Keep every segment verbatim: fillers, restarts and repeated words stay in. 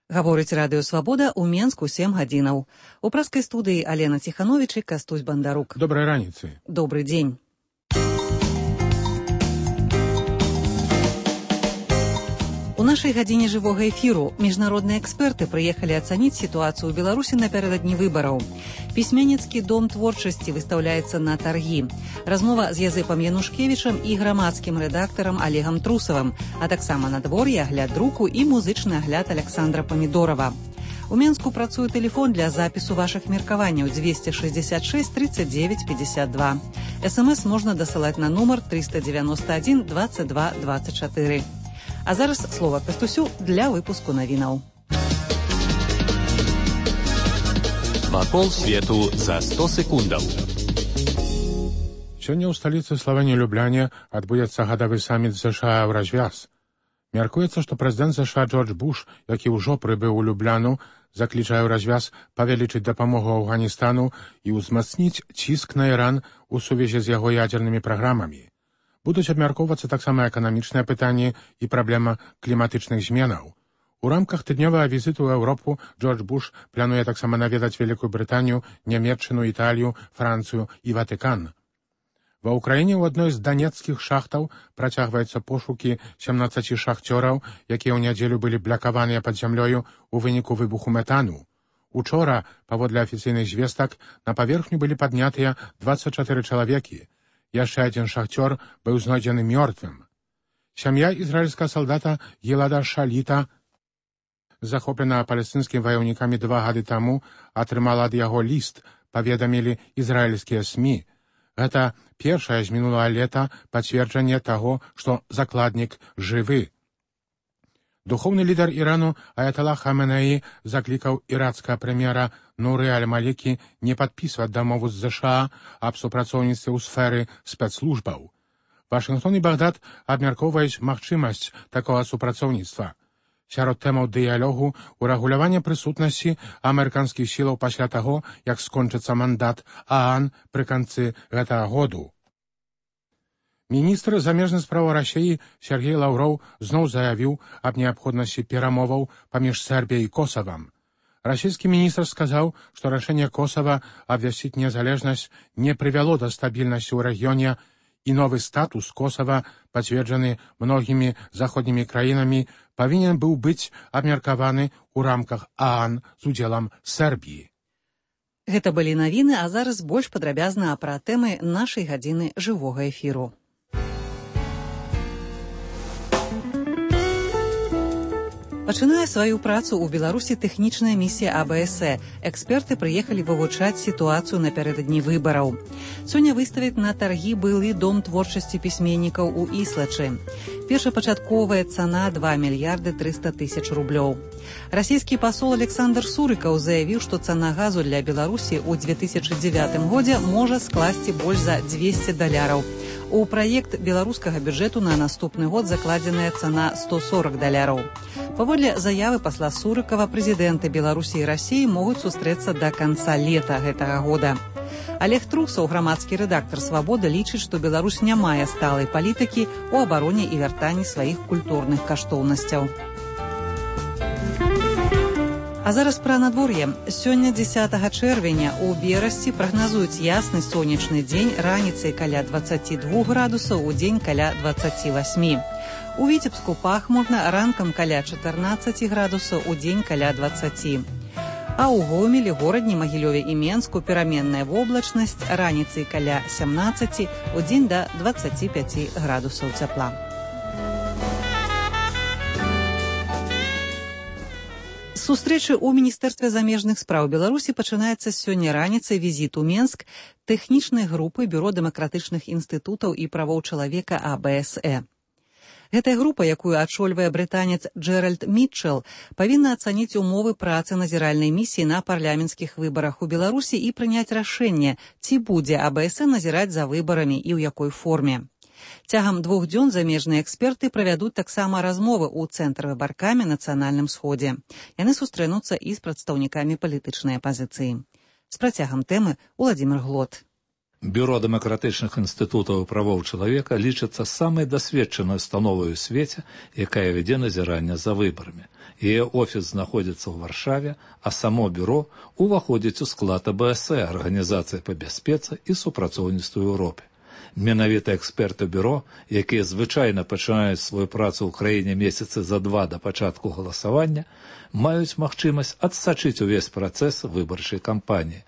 Гаворыць радыё «Свабода» ў Менску сем гадзінаў. У праскай студыі Алена Ціхановіч і Кастусь Бандарук. Добрай раніцы. Добры дзень. У нашай гадзіне жывога эфіру міжнародныя эксперты прыехалі ацаніць сітуацыю ў Беларусі напярэдадні выбараў. Пісьменніцкі дом творчасці выстаўляецца на таргі. Размова з Язэпам Янушкевічам і грамадскім рэдактарам Олегам Трусавым, а таксама надвор'е, агляд друку і музычны агляд Александра Памідорова. У Менску працуе тэлефон для запісу вашых меркаванняў двести шестьдесят шесть тридцать девять пятьдесят два. СМС можна дасылаць на нумар триста девяносто один двадцать два двадцать четыре. А зараз слова Кастусю для выпуску навінаў. Вакол свету за сто секундаў. Сёння ў сталіцы Славэніі Любляне адбудзецца гадавы саміт ЗША ў развяз. Мяркуецца, што прэзідэнт ЗША Джордж Буш, які ўжо прыбыў у Любляну, заклічае ў развяз павялічыць дапамогу Афганістану і ўзмацніць ціск на Іран у сувязі з яго ядзернымі праграмамі. Будуць абмяркоўвацца таксама эканамічныя пытанні і праблема кліматычных зменаў. У рамках тыднёвага візіту ў Еўропу Джордж Буш плануе таксама наведаць Вялікую Брытанію, Нямецчыну, Італію, Францыю і Ватыкан. Ва ўкраіне ў адной з данецкіх шахтаў працягваюцца пошукі сямнаццаці шахцёраў, якія ў нядзелю былі блякаваныя пад зямлёю ў выніку выбуху метану. Учора, паводле афіцыйных звестак, на паверхню былі паднятыя дваццаць чатыры чалавекі. Яшчэ адзін шахцёр быў знойдзены мёртвым. Сям'я ізраільскага салдата Гілада Шаліта, захопленая палестынскімі ваяўнікамі два гады таму, атрымала ад яго ліст, паведамілі ізраільскія СМІ. Гэта першае з мінулага лета пацверджанне таго, што закладнік жывы. Духоўны лідар Ірану Аяталла Хаменеі заклікаў іракскага прэм'ера Нуры аль-Малікі не падпісваць дамову з ЗША аб супрацоўніцтве ў сферы спецслужбаў. Вашынгтон і Багдад абмяркоўваюць магчымасць такога супрацоўніцтва. Сярод тэмаў дыялогу урэгуляванне прысутнасці амерыканскіх сілаў пасля таго, як скончыцца мандат ААН пры канцы гэтага году. Міністр замежных спраў Расіі Сергей Лаўроў зноў заявіў аб неабходнасці перамоваў паміж Сербіяй і Косавам. Расійскі міністр сказаў, што рашэнне Косава абвясціць незалежнасць не прывяло да стабільнасці ў рэгіёне і новы статус Косава, пацверджаны многімі заходнімі краінамі, павінен быў быць абмеркаваны ў рамках ААН з удзелам Сербіі. Гэта былі навіны, а зараз больш падрабязна пра тэмы нашай гадзіны жывога эфіру. Пачынае сваю працу ў Беларусі тэхнічная місія АБСЭ. Эксперты прыехалі вывучаць сітуацыю напярэдадні выбараў. Сёння выставяць на таргі былы дом творчасці пісьменнікаў у Іслачы. Першапачатковая цана два мільярды трыста тысяч рублёў. Расійскі пасол Александр Сурыкаў заявіў, што цана газу для Беларусі ў две тысячы дзевятым годзе можа скласці больш за дзвесце даляраў. У праект беларускага бюджэту на наступны год закладзеная цана сто сорок даляраў. Паводле заявы пасла Сурыкава, прэзідэнты Беларусі і Расіі могуць сустрэцца да канца лета гэтага года. Олег Трусаў, грамадскі рэдактар «Свабода», лічыць, што Беларусь не мае сталай палітыкі ў абароне і вяртанні сваіх культурных каштоўнасцяў. А зараз пра надвор'е. Сёння дзесятага чэрвеня у Берасці прагназуюць ясны сонечны дзень, раніцай каля дваццаць два градусаў, у дзень каля дваццаць восемь. У Віцебску пахмурна, ранкам каля чатырнаццаць градусаў, у дзень каля дваццаць. А ў Гомелі, горадні, Магілёве і Менску пераменная воблачнасць, раніцай каля сямнаццаць, у дзень да дваццаць пяць градусаў цяпла. Сустрэчы ў Міністэрстве замежных спраў Беларусі пачынаецца сёння раніцай візіт у Менск тэхнічнай групы Бюро дэмакратычных інстытутаў і правоў чалавека АБСЭ. Гэтая група, якую ачольвае брытанец Джеральд Мітчел, павінна ацаніць умовы працы назіральнай місіі на парламенцкіх выбарах у Беларусі і прыняць рашэнне, ці будзе АБСЭ назіраць за выбарамі і ў якой форме. Цягам двух дзён замежныя эксперты правядуць таксама размовы ў цэнтры выбаркамі нацыянальным сходзе. Яны сустрэнуцца і з прадстаўнікамі палітычнай апазіцыі. З працягам тэмы Уладзімир Глот. Бюро дэмакратычных інстытутаў правоў чалавека лічыцца самай дасведчанай установай у свеце, якая вядзе назіранне за выбарамі. Яе офіс знаходзіцца ў Варшаве, а само бюро ўваходзіць у склад а бэ эс э, Арганізацыі па бяспецы і супрацоўніцтву ў Еўропе. Менавіта эксперты бюро, якія звычайна пачынаюць сваю працу ў краіне месяцы за два да пачатку галасавання, маюць магчымасць адсачыць увесь працэс выбарчай кампаніі.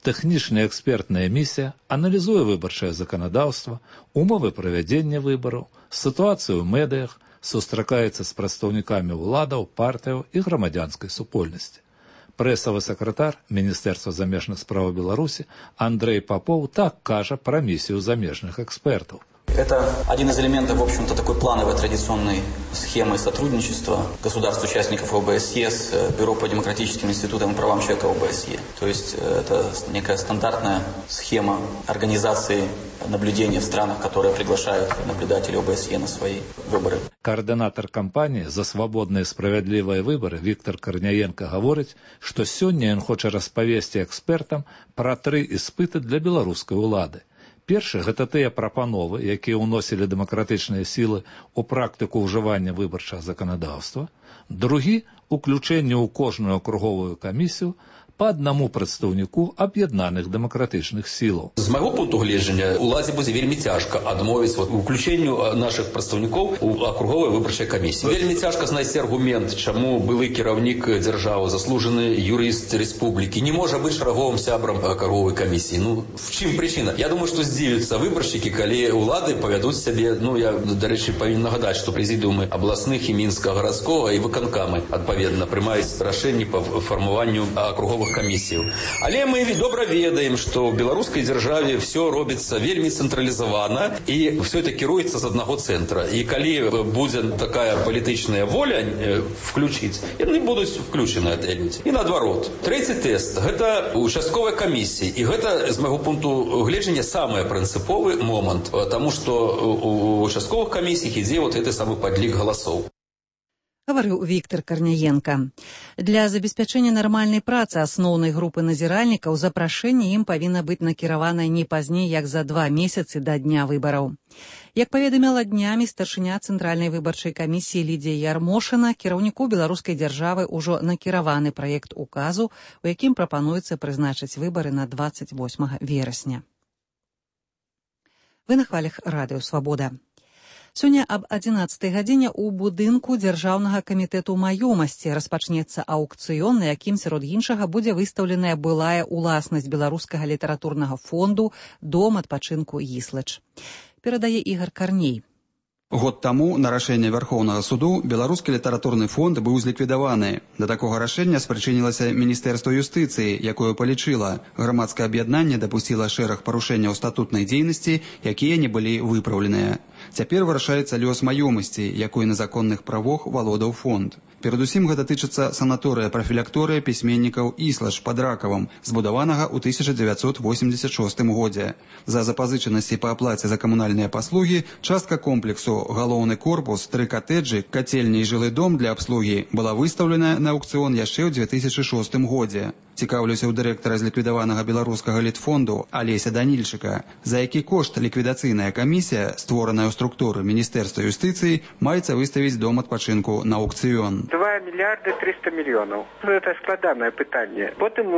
Тэхнічная экспертная місія аналізуе выбарчае заканадаўства, умовы правядзення выбараў, сітуацыю ў медыях, сустракаецца з прадстаўнікамі ўладаў, партыяў і грамадзянскай супольнасці. Прэсавы сакратар Міністэрства замежных спраў Беларусі Андрэй Папоў так кажа пра місію замежных экспертаў. Это один из элементов, в общем-то, такой плановой традиционной схемы сотрудничества государств-участников о бэ эс е с Бюро по демократическим институтам и правам человека о бэ эс е. То есть это некая стандартная схема организации наблюдения в странах, которые приглашают наблюдателей о бэ эс е на свои выборы. Координатор кампании за свободные и справедливые выборы Віктор Карняенко гаворыць, што сёння ён хоча распавесці экспертам пра тры іспыты для беларускай улады. Першы – гэта тыя прапановы, якія ўносілі дэмакратычныя сілы ў практыку ўжывання выбарчага заканадаўства. Другі – уключэнне ў кожную акруговую камісію па аднаму прадстаўніку аб'яднаных дэмакратычных сілаў. З майго пункту гледжання уладзе будзе вельмі цяжка адмовіць вот, уключэнню нашых прадстаўнікоў у акруговай выбарчай камісіі. Вельмі цяжка знайсці аргумент, чаму былы кіраўнік дзяржавы, заслужаны юрыст рэспублікі не можа быць шараговым сябрам акруговай камісіі. Ну, в чым прычына? Я думаю, што здзівяцца выбаршчыкі, калі улады павядуць сябе, ну, я, дарэчы, павінен нагадаць, што прэзідыумы абласных і мінскага гарадскога і выканкамы, адпаведна, прымаюць рашэнні па фармаванню акруговых камісіяў. Але мы добра ведаем, што ў беларускай дзяржаве все робіцца вельмі цэнтралізавана і все это кіруецца з аднаго цэнтра. І калі будзе такая палітычная воля включыць, яны будуць включены адтэльніць. І наадварот. Трэці тэст – гэта участковая камісія. І гэта, з майго пункту гледжання, самы прынцыповы момант, таму што у участковых камісіях ідзе вот гэты самы падлік галасоў. Гаварыў Віктор Карняенка. Для забеспячэння нармальнай працы асноўнай групы назіральнікаў запрашэнне ім павінна быць накіраванае не пазней, як за два месяцы да дня выбараў. Як паведаміла днямі старшыня Цэнтральнай выбарчай камісіі Лідзія Ярмошына, кіраўніку беларускай дзяржавы ўжо накіраваны праект указу, у якім прапануецца прызначыць выбары на дваццаць восьмага верасня. Вы на хвалях радыё «Свабода». Сёння аб адзінаццатай гадзіне ў будынку Дзяржаўнага камітэту маёмасці распачнецца аўкцыён, на якім, сярод іншага, будзе выстаўленая былая ўласнасць беларускага літаратурнага фонду «Дом адпачынку Іслач». Перадае Ігар Карней. Год таму на рашэнне Вярхоўнага суду беларускі літаратурны фонд быў зліквідаваны. Да такога рашэння спрычынілася Міністэрства юстыцыі, якое палічыла, грамадскае аб'яднанне дапусціла шэраг парушэнняў статутнай дзейнасці, якія не былі выпраўленыя. Цяпер вырашаецца лёс маёмасці, якой на законных правах валодаў фонд. Перадусім гэта тычыцца санаторыя-прафілякторыя пісьменнікаў Іслач пад Ракавам, збудаванага ў тысяча дзевяцьсот восемьдзесят шостым годзе. За запазычанасці па аплаце за камунальныя паслугі частка комплексу галоўны корпус, тры катэджы, кацельня і жылы дом для абслугі была выстаўлена на аўкцыён яшчэ ў дзве тысячы шостым годзе. Цікаўлюся ў дырэктара зліквідаванага беларускага літфонду Алеся Данільчыка, за які кошт ліквідацыйная камісія, створаная ў структуры Міністэрства юстыцыі, маецца выставіць дом адпачынку на аўкцыён. два мільярды трыста мільёнаў. Гэта складанае пытанне. Потым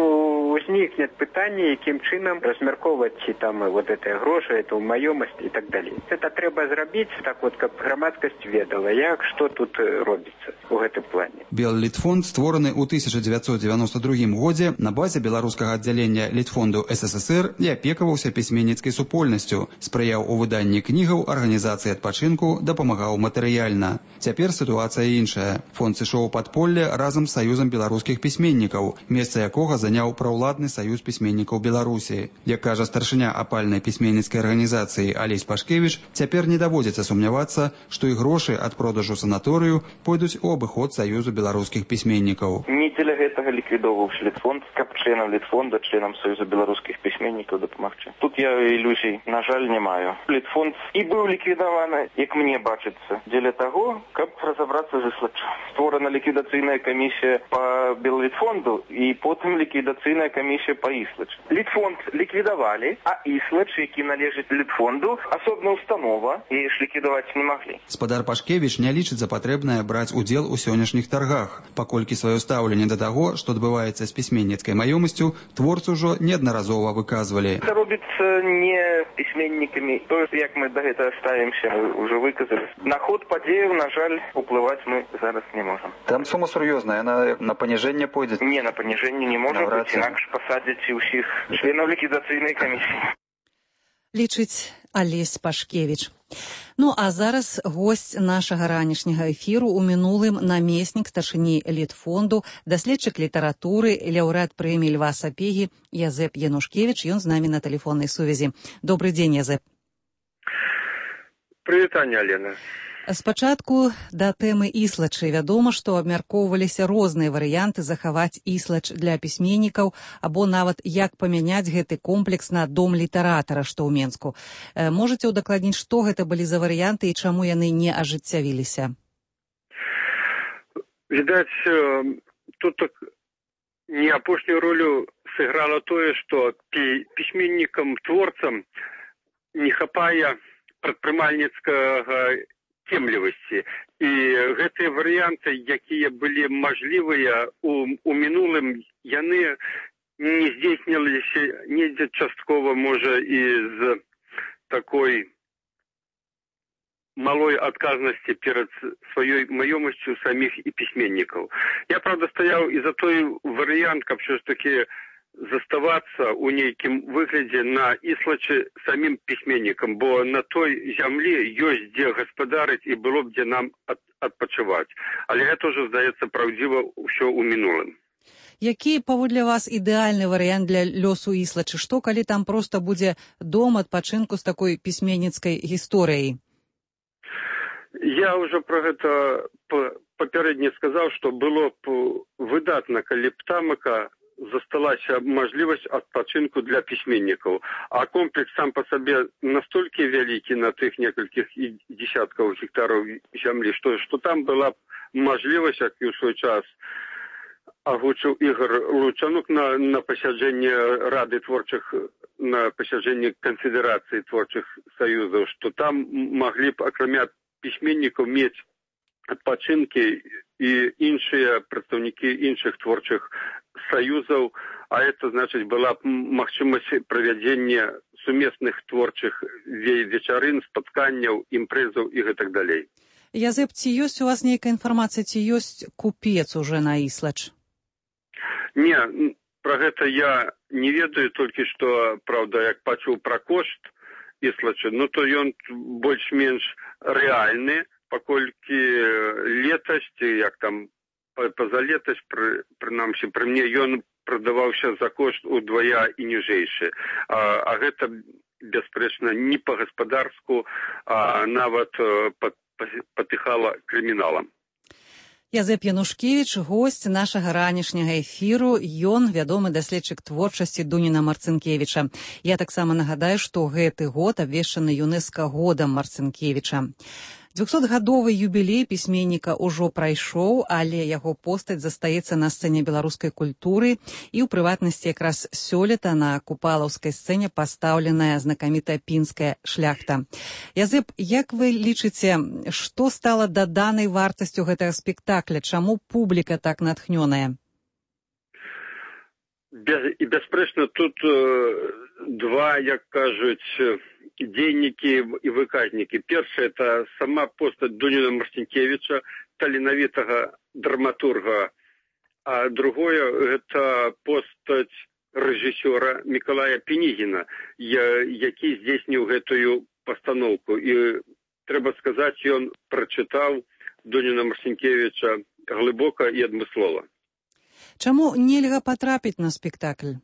узнікне пытанне, якім чынам размяркоўваць ці там вот гэтыя грошы, эту маёмасць і так далей. Гэта трэба зрабіць так вот, каб грамадскасць ведала, як што тут робіцца у гэтым плане. Беллітфонд створаны ў тысяча дзевяцьсот дзевяноста другім годзе на базе беларускага аддзялення Літфонду эс эс эс эр і апекаваўся пісьменніцкай супольнасцю, спрыяў у выданні кнігаў, арганізацыі адпачынку, дапамагаў матэрыяльна. Цяпер сітуацыя іншая. Фонд сышоў у падполле разам з Саюзам беларускіх пісьменнікаў, месца якога заняў праўладны Саюз пісьменнікаў Беларусі. Як кажа старшыня апальнай пісьменніцкай арганізацыі Алесь Пашкевіч, цяпер не даводзіцца сумнявацца, што і грошы ад продажу санаторыю пойдуць у абыход Саюзу беларускіх пісьменнікаў. Не дзеля гэтага ліквідоўваўся Літфонд, фонд, каб членам Літфонда, членам Союза беларускіх пісьменнікаў дапамагчы. Тут я ілюзій, на жаль, не маю. Літфонд і быў ліквідаваны, як мне бачыцца, дзеля таго, каб разабрацца з Іслачам. Створана ліквідацыйная камісія па Беллітфонду і потым ліквідацыйная камісія па Іслач. Літфонд ліквідавалі, а Іслач, які належыць Літфонду, асобна установа, і ж ліквідаваць не маглі. Спадар Пашкевіч не лічыць за патрэбнае браць удзел у сённяшніх таргах, паколькі сваё стаўленне да таго, што адбываецца з пісьменніцкай маёмасцю, творцы ўжо неаднаразова выказвалі. Це робіцца не пісьменнікамі. То, як мы да гэтага ставімся, мы ўжо выказалі. На ход падзеяў, на жаль, уплываць мы зараз не можам. Там сума сур'ёзная, яна на паніжэнне пойдзе? Не, на паніжэнне не можа быць, інакш пасадзяць і ўсіх членаў ліквідацыйнай камісіі. Лічыць Алесь Пашкевіч. Ну, а зараз госць нашага ранішняга эфіру у мінулым намеснік старшыні Літфонду, даследчык літаратуры, лаўрэат прэміі Льва Сапегі Язэп Янушкевіч. Ён з намі на тэлефоннай сувязі. Добрый дзень, Язэп. Прывітанне, Алена. Спачатку да тэмы Іслачы. Вядома, што абмяркоўваліся розныя варыянты захаваць Іслач для пісьменнікаў або нават як памяняць гэты комплекс на дом літаратара, што ў Менску. Можаце ўдакладніць, што гэта былі за варыянты і чаму яны не ажыццявіліся? Відаць, тут не апошнюю ролю сыграла тое, што пісьменнікам-творцам не хапае прадпрымальніцкага цемлівасці. І гэтыя варыянты, якія былі мажлівыя у, у мінулым, яны не здзейсніліся недзе часткова, можа, і з такой малой адказнасці перад сваёй маёмасцю саміх і пісьменнікаў. Я, правда, стаяў і за той варыянт, каб ўсё ж такі заставацца ў нейкім выглядзе на Іслачы самім пісьменнікам, бо на той зямлі ёсць дзе гаспадарыць і было б дзе нам ад, адпачываць. Але гэта ўжо, здаецца, праўдзіва ўсё ў мінулым. Які, паводле вас, ідэальны варыянт для лёсу Іслачы? Што, калі там проста будзе дом адпачынку з такой пісьменніцкай гісторыяй? Я ўжо пра гэта папярэдне сказаў, што было б выдатна, калі б тамака засталася мажлівасць адпачынку для пісьменнікаў. А комплекс сам па сабе настолькі вялікі на тых некалькіх дзесяткаў гектараў зямлі, што, што там была б мажлівасць, як і ў свой час агучыў Ігор Лучанук на, на пасяджэнні Рады творчых, на пасяджэнні Канфедэрацыі творчых саюзаў, што там маглі б, акрамя пісьменнікаў, мець адпачынкі і іншыя прадстаўнікі іншых творчых саюзаў, а это, значыць, была б магчымасць правядзення сумесных творчых вечарын, спатканняў, імпрэзаў і гэтак далей. Язэп, ці ёсць у вас нейкая інфармацыя, ці ёсць купец уже на Іслач? Не, пра гэта я не ведаю, толькі што, правда, як пачуў пра кошт Іслача, ну то ён больш-менш рэальны, паколькі летась, як там пазалетась, пры, прынамсі, пры мне ён прадаваўся за кошт удвая і ніжэйшы. А, а гэта, бясспрэчна, не па-гаспадарску, а нават патыхала крыміналам. Язэп Янушкевіч, госць нашага ранішняга эфіру. Ён вядомы даследчык творчасці Дуніна Марцынкевіча. Я таксама нагадаю, што гэты год абвешчаны ЮНЕСКО годам Марцынкевіча. двухсотгадовы юбілей пісьменніка ўжо прайшоў, але яго постаць застаецца на сцэне беларускай культуры, і ў прыватнасці якраз сёлета на купалаўскай сцэне пастаўленая знакамітая пінская шляхта. Язэп, як вы лічыце, што стала даданай вартасцю гэтага спектакля? Чаму публіка так натхнёная? Без, і бясспрэчна, тут э, два, як кажуць, дзейнікі і выказнікі. Першае, это сама постаць Дуніна Марцінкевіча, таленавітага драматурга, а другое, это постаць рэжысёра Мікалая Пінігіна, які здзейсніў гэтую пастаноўку. І трэба сказаць, ён прачытаў Дуніна Марцінкевіча глыбока і адмыслова. Чаму нельга патрапіць на спектакль?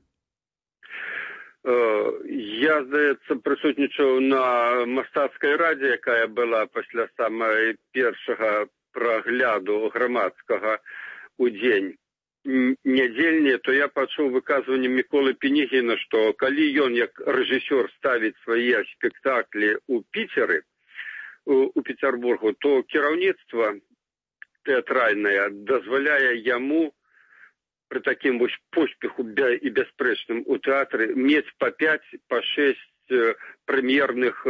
Я, здаецца, прысутнічаў на мастацкай радзе, якая была пасля самай першага прагляду грамадскага ў дзень нядзельныя, то я пачуў выказванне Міколы Пенігіна, што калі ён як рэжысёр ставіць свае спектаклі ў Піцеры, у, у Петербургу, то кіраўніцтва тэатральнае дазваляе яму пры такім вось поспеху і бясспрэчным у тэатры мець па пяць, па шэсць прэм'ерных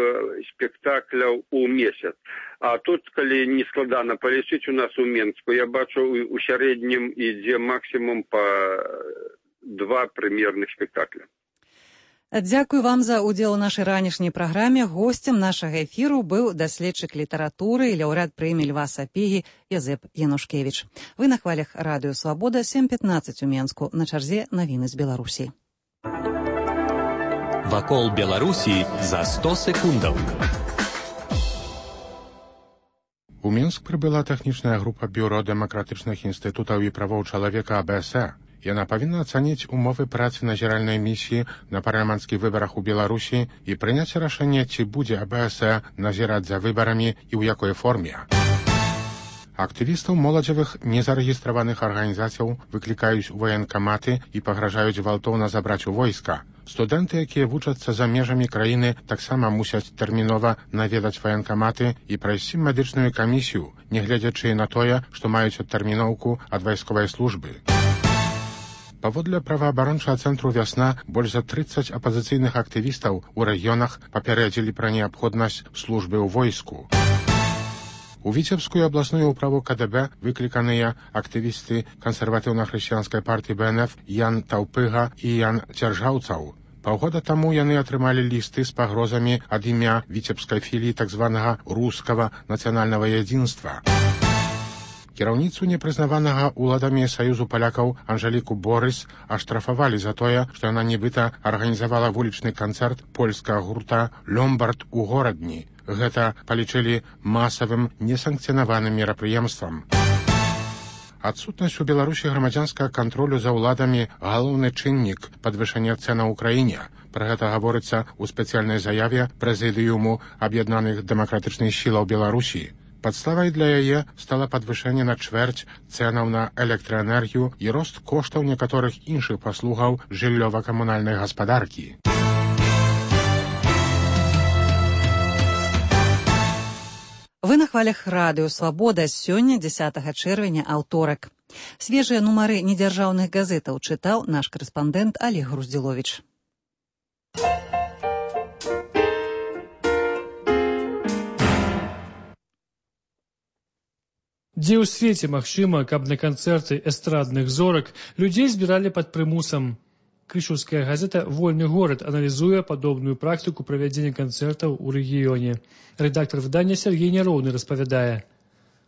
спектакляў у месяц. А тут, калі не складана палічыць у нас у Менску, я бачу, у сярэднім ідзе максімум па два прэм'ерных спектакля. Дзякую вам за ўдзел у нашай ранішняй праграме. Госцем нашага эфіру быў даследчык літаратуры і лаўрэат прэміі Льва Сапегі Язэп Янушкевіч. Вы на хвалях радыё «Свабода», сем пятнаццаць у Менску. На чарзе навіны з Беларусі. Вакол Беларусі за сто секундаў. У Мінск прыбыла тэхнічная група бюро дэмакратычных інстытутаў і правоў чалавека А Б С Э. Яна павінна ацаніць умовы працы назіральнай місіі на парламенцкіх выбарах у Беларусі і прыняць рашэнне, ці будзе А Б С Э назіраць за выбарамі і ў якой форме. Актывістаў моладзевых незарэгістраваных арганізацыяў выклікаюць у ваенкаматы і пагражаюць гвалтоўна забраць у войска. Студэнты, якія вучацца за межамі краіны, таксама мусяць тэрмінова наведаць ваенкаматы і прайсці медычную камісію, нягледзячы на тое, што маюць адтэрміноўку ад вайсковай службы. Паводле праваабарончага цэнтру «Вясна» больш за трыццаць апазіцыйных актывістаў у рэгіёнах папярэдзілі пра неабходнасць службы ў войску. У Віцебскую абласную ўправу К Д Б выкліканыя актывісты кансерватыўна-хрысціянскай партыі Б Н Ф Ян Таўпыга і Ян Цяржаўцаў. Паўгода таму яны атрымалі лісты з пагрозамі ад імя віцебскай філіі так званага рускага нацыянальнага ядзінства. Кіраўніцу непрызнаванага ўладамі Саюзу палякаў Анжеліку Борыс аштрафавалі за тое, што яна нібыта арганізавала вулічны канцэрт польскага гурта «Ломбард» у горадні. Гэта палічылі масавым несанкцыянаваным мерапрыемствам. Адсутнасць у Беларусі грамадзянскага кантролю за ўладамі – галоўны чыннік падвышэння цэнаў у краіне. Пра гэта гаворыцца ў спецыяльнай заяве Прэзідыуму аб'яднаных дэмакратычных сілаў Беларусі. Падставай для яе стала падвышэнне на чвэрць цэнаў на электраэнергію і рост коштаў некаторых іншых паслугаў жыллёва-камунальнай гаспадаркі. Вы на хвалях радыё «Свабода». Сёння, дзесятага чэрвеня, аўторак. Свежыя нумары недзяржаўных газетаў чытаў наш корэспандэнт Олег Груздзіловіч. Дзе ў свеце магчыма, каб на канцэрты эстрадных зорак людзей збіралі пад прымусам? Крышаўская газета «Вольны горад» аналізуе падобную практыку правядзення канцэртаў у рэгіёне. Рэдактар выдання Сергей Няроўны распавядае.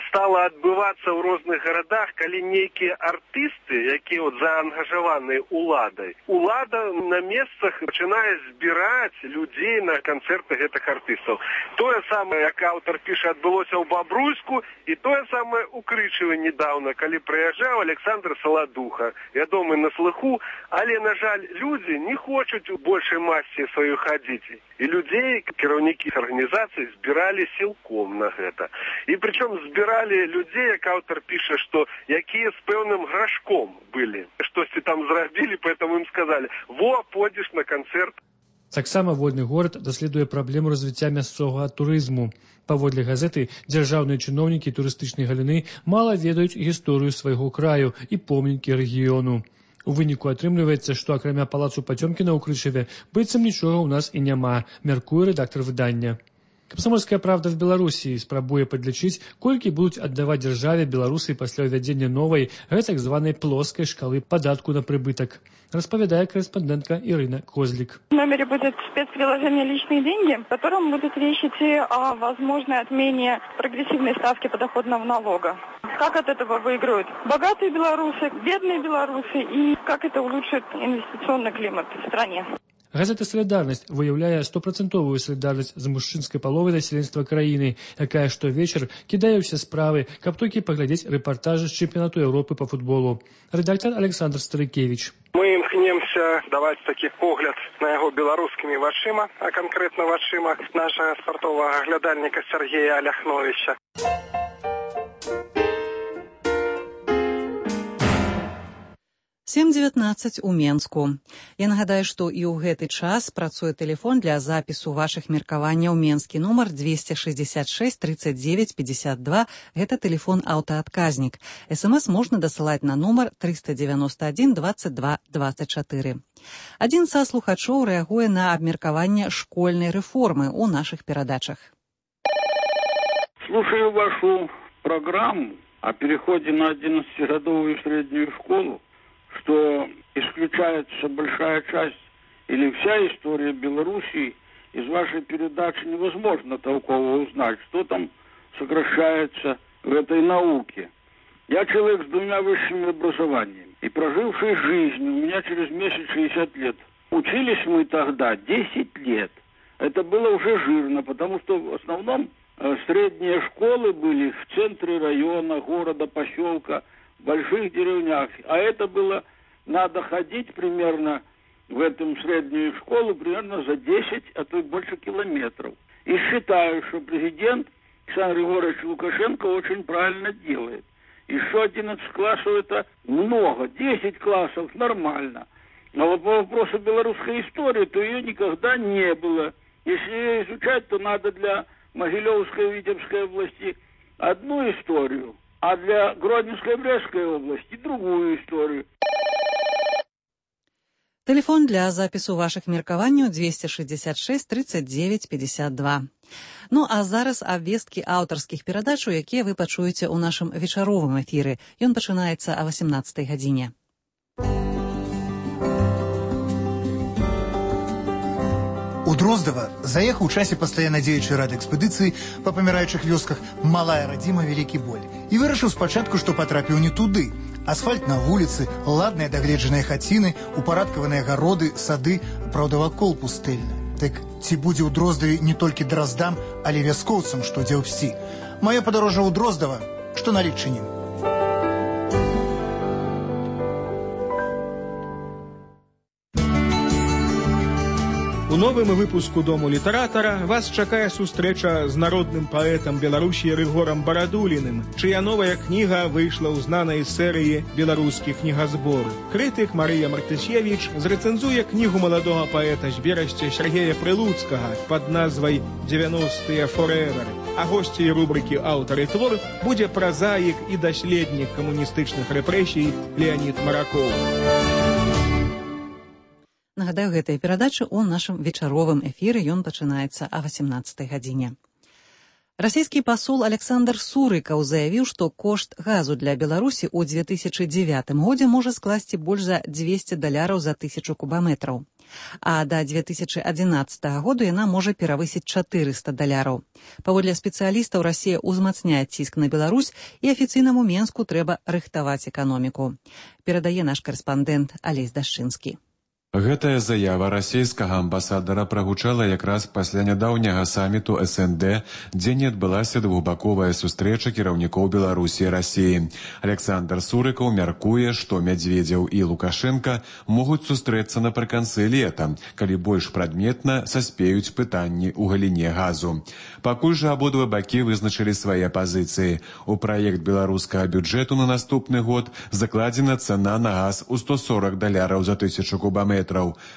Стала адбывацца ў розных гарадах, калі нейкія артысты, якія от заангажаваныя уладай, улада на месцах пачынае збіраць людзей на канцэрты гэтых артыстаў. Тое самае, як аўтар піша, адбылося ў Бабруйску, і тое самае ў Крычаве недаўна, калі прыязджаў Александр Саладуха, вядомы на слыху, але, на жаль, людзі не хочуць у большай масе сваёй хадзіць. І людзей, кіраўнікі арганізацый, збіралі сілком на гэта. І прычым збіралі людзей, як аўтар піша, што якія з пэўным грашком былі. Штосьці там зрабілі, поэтому ім сказалі: «Во, пойдзеш на канцэрт». Таксама «Вольны горад» даследуе праблему развіцця мясцовага турызму. Паводле газеты, дзяржаўныя чыноўнікі турыстычнай галіны мала ведаюць гісторыю свайго краю і помнікі рэгіёну. У выніку атрымліваецца, што акрамя палацу Пацёмкіна ў Крычаве быццам нічога ў нас і няма, мяркуе рэдактар выдання. Камсомольская правда в Беларусі спрабуе падлічыць, колькі будуць аддаваць дзяржаве беларусы пасля ўвядзення новай, гэтак званай плоскай шкалы падатку на прыбытак. Распавядае корэспондентка Ирина Козлик. В номере будет спецприложение «Личные деньги», в котором будут речь идти о возможной отмене прогрессивной ставки подоходного налога. Как от этого выиграют богатые белорусы, бедные белорусы, и как это улучшит инвестиционный климат в стране. Газета «Солідарнасць» выяўляе стопрацэнтовую салідарнасць з мужчынскай паловай насельніцтва краіны, якая штовечар кідае ўсе справы, каб толькі паглядзець рэпартажы з чэмпіянату Еўропы па футболу. Рэдактар Александр Старыкевіч. Мы імкнемся даваць такі погляд на яго беларускімі вачыма, а канкрэтна вачыма нашага спартовага глядальніка Сергея Аляхновіча. сем дзевятнаццаць у Менску. Я нагадаю, што і ў гэты час працуе тэлефон для запісу вашых меркаванняў. Менскі нумар двести шестьдесят шесть тридцать девять пятьдесят два. Гэта тэлефон аўтаадказнік. СМС можна дасылаць на нумар триста девяносто один двадцать два двадцать четыре. Адзін са слухачоў рэагуе на абмеркаванне школьнай рэформы ў нашых перадачах. Слушаю вашу программу о переходе на одиннадцатигодовую среднюю школу, что исключается большая часть или вся история Белоруссии. Из вашей передачи невозможно толково узнать, что там сокращается в этой науке. Я человек с двумя высшими образованиями и проживший жизнь, у меня через месяц шестьдесят лет. Учились мы тогда десять лет. Это было уже жирно, потому что в основном средние школы были в центре района, города, поселка, в больших деревнях. А это было, надо ходить примерно в этом среднюю школу примерно за десять, а то и больше километров. И считаю, что президент Александр Григорьевич Лукашенко очень правильно делает. Еще одиннадцать классов это много, десять классов нормально. А вот по вопросу белорусской истории, то ее никогда не было. Если ее изучать, то надо для Могилевской и Витебской области одну историю, а для Гродненской и Брестской области другую историю. Телефон для запісу ваших меркаванняў двести шестьдесят шесть тридцать девять пятьдесят два. Ну а зараз абвесткі аўтарскіх перадач, якія вы пачуеце ў нашым вечаровым эфіры. Ён пачынаецца о восемнадцатай гадзіне. У Дроздава заехаў у часе пастаянна дзеючай радэкспедыцыі па паміраючых вёсках малая радзіма вялікі боль і вырашыў спачатку, што патрапіў не туды. Асфальт на вуліцы, ладныя дагледжаныя хаціны, упарадкаваныя гароды, сады, праўда, вакол пустэльна. Так ці будзе ў Дроздаве не толькі драздам, але вяскоўцам, што дзе ўсі. Маё падарожжа ў Дроздава, што на Літчыне. У новым выпуску Дому літаратара вас чакае сустрэча з народным паэтам Беларусі Рыгорам Барадуліным, чыя новая кніга выйшла ў знанай серыі «Беларускі кнігазбор». Крытык Марыя Мартысевіч зрэцэнзуе кнігу маладога паэта з Берасця Сергея Прылуцкага пад назвай «дзевяностыя форэвер». А госцей рубрыкі «Аўтар і твор» будзе празаік і даследнік камуністычных рэпрэсій Леонід Маракоў. Нагадаю, гэтая перадача ў нашым вечаровым эфіры, ён пачынаецца о восемнадцатай гадзіне. Расійскі пасол Александр Сурыкаў заявіў, што кошт газу для Беларусі ў две тысячы дзевятым годзе можа скласці больш за дзвесце даляраў за тысячу кубаметраў. А да две тысячы адзінаццатага году яна можа перавысіць чатырыста даляраў. Паводле спецыялістаў, Расія ўзмацняе ціск на Беларусь, і афіцыйнаму Менску трэба рыхтаваць эканоміку. Перадае наш карэспандэнт Алесь Дашчынскі. Гэтая заява расійскага амбасадара прагучала якраз пасля нядаўняга саміту эс эн дэ, дзе не адбылася двухбаковая сустрэча кіраўнікоў Беларусі і Расіі. Александр Сурыкаў мяркуе, што Мядзведзеў і Лукашенка могуць сустрэцца напрыканцы лета, калі больш прадметна саспеюць пытанні ў галіне газу. Пакуль жа абодва бакі вызначылі свае пазіцыі. У праект беларускага бюджэту на наступны год закладзена цана на газ у сто сорок даляраў за тысячу кубаметраў,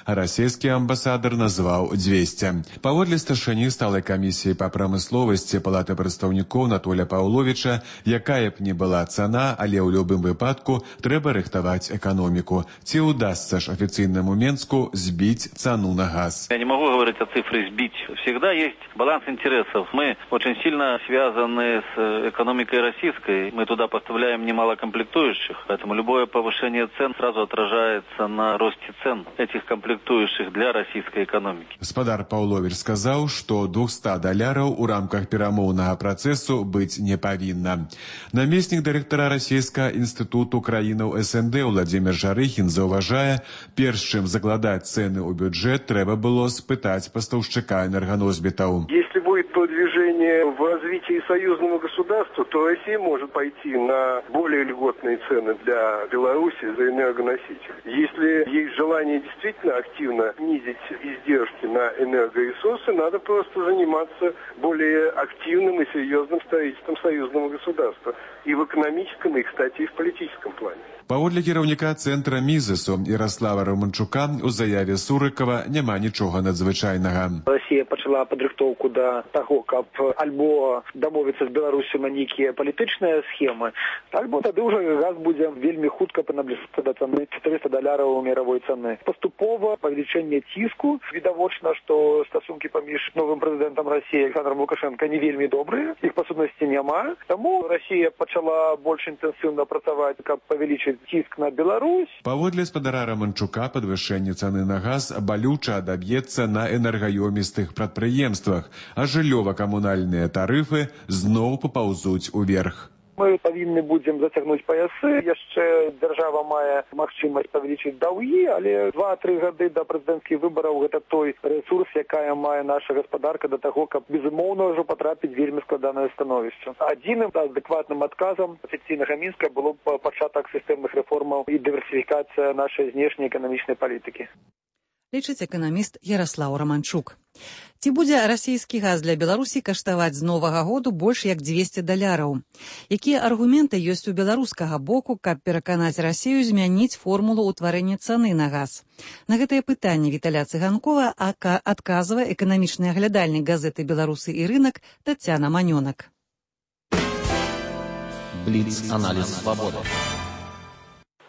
а расійскі амбасадар назваў дзвесце. Паводле старшыні сталай камісіі па прамысловасці Палаты прадстаўнікоў Анатоля Паўловіча, якая б не была цана, але ў любым выпадку трэба рыхтаваць эканоміку. Ці ўдасца ж афіцыйнаму Менску збіць цану на газ? Я не могу говорить о цифре «сбить». Всегда есть баланс интересов. Мы очень сильно связаны с экономикой российской. Мы туда поставляем немало комплектующих, поэтому любое повышение цен сразу отражается на росте цен этих комплектующих для российской экономики. Гаспадар Паўловіч сказаў, што двухсот даляраў у рамках перамоўнага працэсу быць не павінна. Намеснік дырэктара расійскага інстытуту краінаў эс эн дэ Владзімір Жарыхін заўважае, перш чым закладаць цэны ў бюджэт, трэба было спытаць пастаўшчыка энерганосьбітаў. Если будет продвижение в развитии союзного государства, то Россия может пойти на более льготные цены для Беларуси за энергоносители. Если есть желание действительно активно снизить издержки на энергоресурсы, надо просто заниматься более активным и серьезным строительством союзного государства и в экономическом, и, кстати, и в политическом плане. Паводле кіраўніка цэнтра Мізесу Ярослава Романчука у заяве Сурыкова няма нічога надзвычайнага. Россия пачала падрыхтоўку да таго, каб альбо дамовіцца з Беларусю на нейкія палітычныя схемы, альбо тады ўжо газ будзе вельмі хутка набліжацца да цаны чатырыста даляраў мировой цаны. Паступова павелічэнне ціску. Відавочна, што стасункі паміж новым прэзідэнтам России Александром Лукашенко не вельмі добрыя, іх па сутнасці няма. Таму Россия пачала больш інтэнсіўна працаваць, каб павялічыць ціск на Беларусь. Паводле спадара Романчука падвышэнне цаны на газ балюча адаб'ецца на энергаёмістых прадпрыемствах, а жыллёва-камунальныя тарыфы зноў папаўзуць уверх. Мы павінны будзем зацягнуць паясы. Яшчэ дзяржава мае магчымасць павялічыць даўгі, але два-тры гады да прэзідэнцкіх выбараў гэта той рэсурс, якая мае наша гаспадарка да таго, каб безумоўна ўжо патрапіць вельмі складанае становішча. Адзіным адэкватным адказам афіцыйнага Мінска было б пачатак сістэмных рэформаў і дыверсіфікацыя нашай знешняй эканамічнай палітыкі. Лічыць эканаміст Ярослаў Романчук. Ці будзе расійскі газ для Беларусі каштаваць з новага году больш як дзвесце даляраў? Якія аргументы ёсць у беларускага боку, каб пераканаць Расію змяніць формулу ўтварэння цаны на газ? На гэтае пытанне Віталя Цыганкова адказвае эканамічны аглядальнік газеты «Беларусы і рынок» Тацяна Манёнак. Блиц-анализ свободы.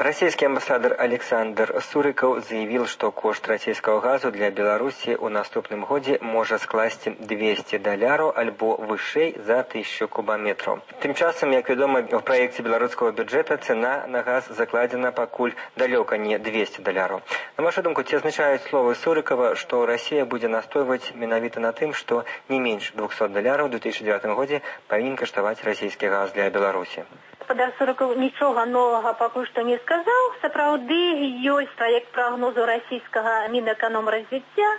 Российский амбассадор Александр Сурыков заявил, что кошт российского газу для Беларуси у наступным годзе можа скласці двести даляраў альбо вышэй за тысячу кубометров. Тым часам, як вядома, в проекте белорусского бюджета цена на газ закладена пакуль далёка не двести даляраў. На вашу думку, ці азначаюць словы Сурыкова, што Россия будзе настойваць менавіта на тым, што не менш двухсот даляраў у две тысячи девятым годзе павінен каштаваць расійскі газ для Беларуси? Гаспадар Сурыков нічога новага пакуль што не сказаў. Сапраўды ёсць праект прагнозу расійскага Мінэканомразвіцця